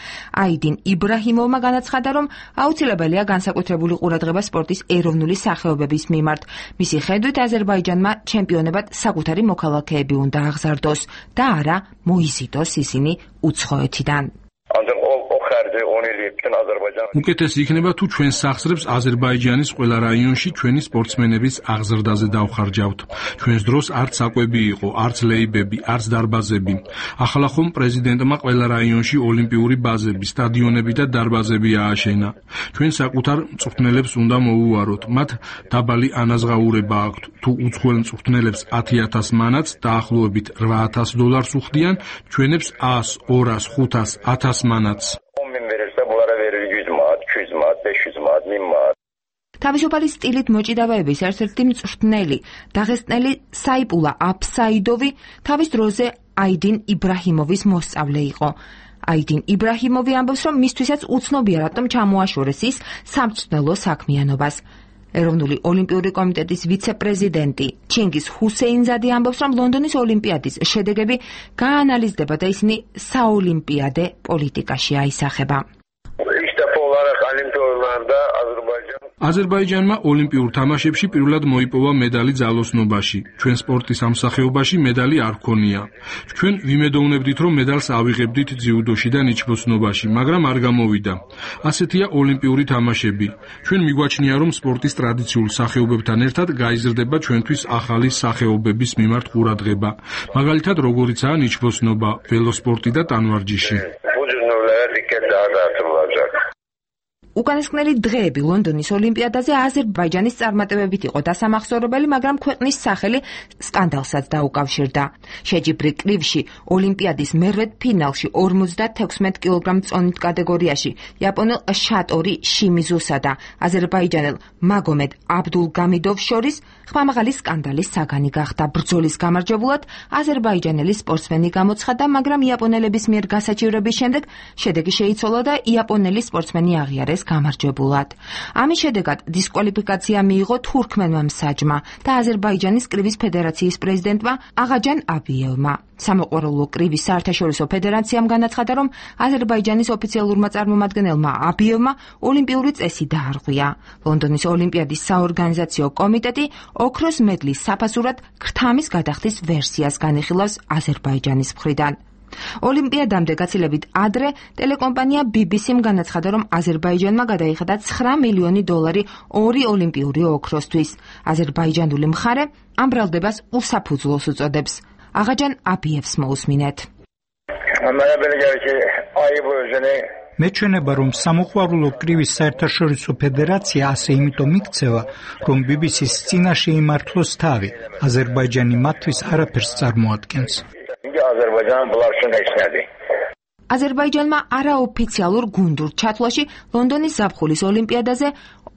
აიდინ იბრაჰიმოვმა განაცხადა, რომ აუცილებელია განსაკუთრებული ყურადღება სპორტის ეროვნული სახეობების მიმართ. მისი ხედვით, აზერბაიჯანმა ჩემპიონებად საკუთარი მოქალაქეები უნდა აღზარდოს და არა მოიზიდოს ისინი უცხოეთიდან. უკეთესი იქნება თუ ჩვენ სახსრებს აზერბაიჯანის ყველა რაიონში ჩვენი სპორტსმენების აღზრდაზე დავხარჯავთ. ჩვენს დროს არც საკვები იყო, არც ლეიბები, არც დარბაზები. ახლა ხომ პრეზიდენტმა ყველა რაიონში ოლიმპიური ბაზები, სტადიონები და დარბაზები ააშენა. ჩვენ საკუთარ მწვრთნელებს უნდა მოუვაროთ. მათ დაბალი ანაზღაურება აქვთ. თუ უცხოელ მწვრთნელებს 10,000 მანაც დაახლოებით $8,000 უხდიან, ჩვენებს 100, 200, 500, 1000 მანაც. თავისუფალი სტილით მოჭიდავეების ერთ-ერთი მწვრთნელი, დაღესტნელი საიპულა აფსაიდოვი თავის დროზე აიდინ იბრაჰიმოვის მოსწავლე იყო. აიდინ იბრაჰიმოვი ამბობს, რომ მისთვისაც უცნობია, რატომ ჩამოაშორეს ის სამწვრთნელო საქმიანობას. ეროვნული ოლიმპიური კომიტეტის ვიცე-პრეზიდენტი ჩინგიზ ჰუსეინზადი ამბობს, რომ ლონდონის ოლიმპიადის შედეგები გაანალიზდება და ისინი საოლიმპიადე პოლიტიკაში აისახება. აზერბაიჯანმა ოლიმპიურ თამაშებში პირველად მოიპოვა медали ძალოსნობაში. ჩვენ სპორტის ამ სახეობაში медали არ ჰქონია. ჩვენ ვიმედოვნებდით, რომ медалს ავიღებდით ძიუდოში და ნიჩბოსნობაში, მაგრამ არ გამოვიდა. ასეთია ოლიმპიური თამაშები. ჩვენ მიგვაჩნია, რომ სპორტის ტრადიციულ სახეობებთან ერთად გაიზრდება ჩვენთვის ახალი სახეობების მიმართ ყურადღება. მაგალითად, როგორიცაა ნიჩბოსნობა, ველოსპორტი და ტანვარჯიში. უკანასკნელი დღეები ლონდონის ოლიმპიადაზე აზერბაიჯანის წარმატებებით იყო დასამახსოვრებელი, მაგრამ ქვეყნის სახელი სკანდალსაც დაუკავშირდა. შეჯიბრი კრივში ოლიმპიადის მერვედ ფინალში 56 კილოგრამ წონით კატეგორიაში იაპონელ შატორი შიმიზუსა და აზერბაიჯანელ მაგომედ აბდულგამიდოვს შორის ხმამაღალი სკანდალის საგანი გახდა. ბრძოლის გამარჯვებულად აზერბაიჯანელი სპორტსმენი გამოცხადდა, მაგრამ იაპონელების მიერ გასაჩივრების შემდეგ შედეგი შეიცვალა და იაპონელი სპორტსმენი აღიარეს გამარჯვებულად. ამის შედეგად დისკვალიფიკაცია მიიღო თურქმენმა მსაჯმა და აზერბაიჯანის კრივის ფედერაციის პრეზიდენტმა აღაჯან აბიევმა. სამოყვარულო კრივის საერთაშორისო ფედერაციამ განაცხადა, რომ აზერბაიჯანის ოფიციალურმა წარმომადგენელმა აბიევმა ოლიმპიური წესი დაარღვია. ლონდონის ოლიმპიადის საორგანიზაციო კომიტეტი ოქროს მედლის საფასურად ქრთამის გადახდის ვერსიას განიხილავს აზერბაიჯანის მხრიდან. ოლიმპიადამდე გაცილებით ადრე ტელეკომპანია BBC-მ განაცხადა, რომ აზერბაიჯანმა გადაიხადა $9 მილიონი ორი ოლიმპიური ოქროსთვის. აზერბაიჯანული მხარე ამ ბრალდებას უსაფუძვლოს უწოდებს. აღაჯან აბიევს მოусმინეთ. მეჩვენება, რომ სამოყვარულო კრივის საერთაშორისო ფედერაცია ასე იმიტომ იქცევა, რომ BBC-ს წინაშე იმართლოს თავი. აზერბაიჯანი მათთვის არაფერს წარმოადგენს. აზერბაიჯანმა არაოფიციალურ გუნდურ ჩათვლაში ლონდონის ზაფხულის ოლიმპიადაზე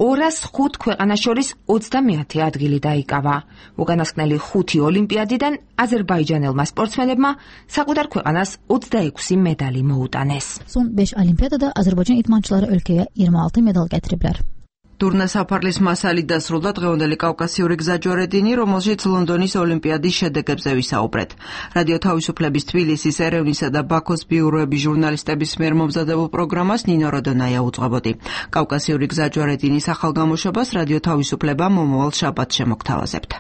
205 ქვეყანას შორის 30 ადგილი დაიკავა. უკანასკნელი 5 ოლიმპიადიდან აზერბაიჯანელმა სპორტსმენებმა საკუთარ ქვეყანას 26 medali მოუტანეს. Son 5 olimpiyadada Azerbaycan idmançıları ülkeye 26 medal getiriblər. Turna Saparlis მასალი დასრულდა დღევანდელი კავკასიური გზაჯვარედინი, რომელშიც ლონდონის ოლიმპიადის შედეგებზე ვისაუბრეთ. რადიო თავისუფლების თბილისის, ერევნისა და ბაქოს ბიუროების ჟურნალისტების მიერ მომზადებულ პროგრამას ნინო როდონაია უძღვებოდი. კავკასიური გზაჯვარედინის ახალ გამოშვებას რადიო თავისუფლება მომავალ შაბათს შემოგთავაზებთ.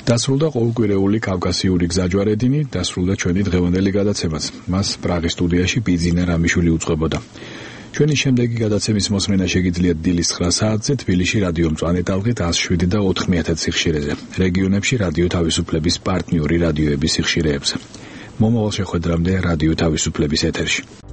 დასრულდა ყოველკვირეული კავკასიური გზაჯვარედინი, დასრულდა ჩვენი დღევანდელი გადაცემაც. მას პრაღის სტუდიაში ბიძინა რამიშვილი უძღვებოდა. ჩვენი შემდეგი გადაცემის მოსმენა შეგიძლიათ დილის 9 საათზე თბილისში რადიო მწვანე ტალღით 107 და 9000 სიხშირეზე. რეგიონებში რადიო თავისუფლების პარტნიორი რადიოების სიხშირეებზე. მომავალ შეხვედრამდე რადიო თავისუფლების ეთერში.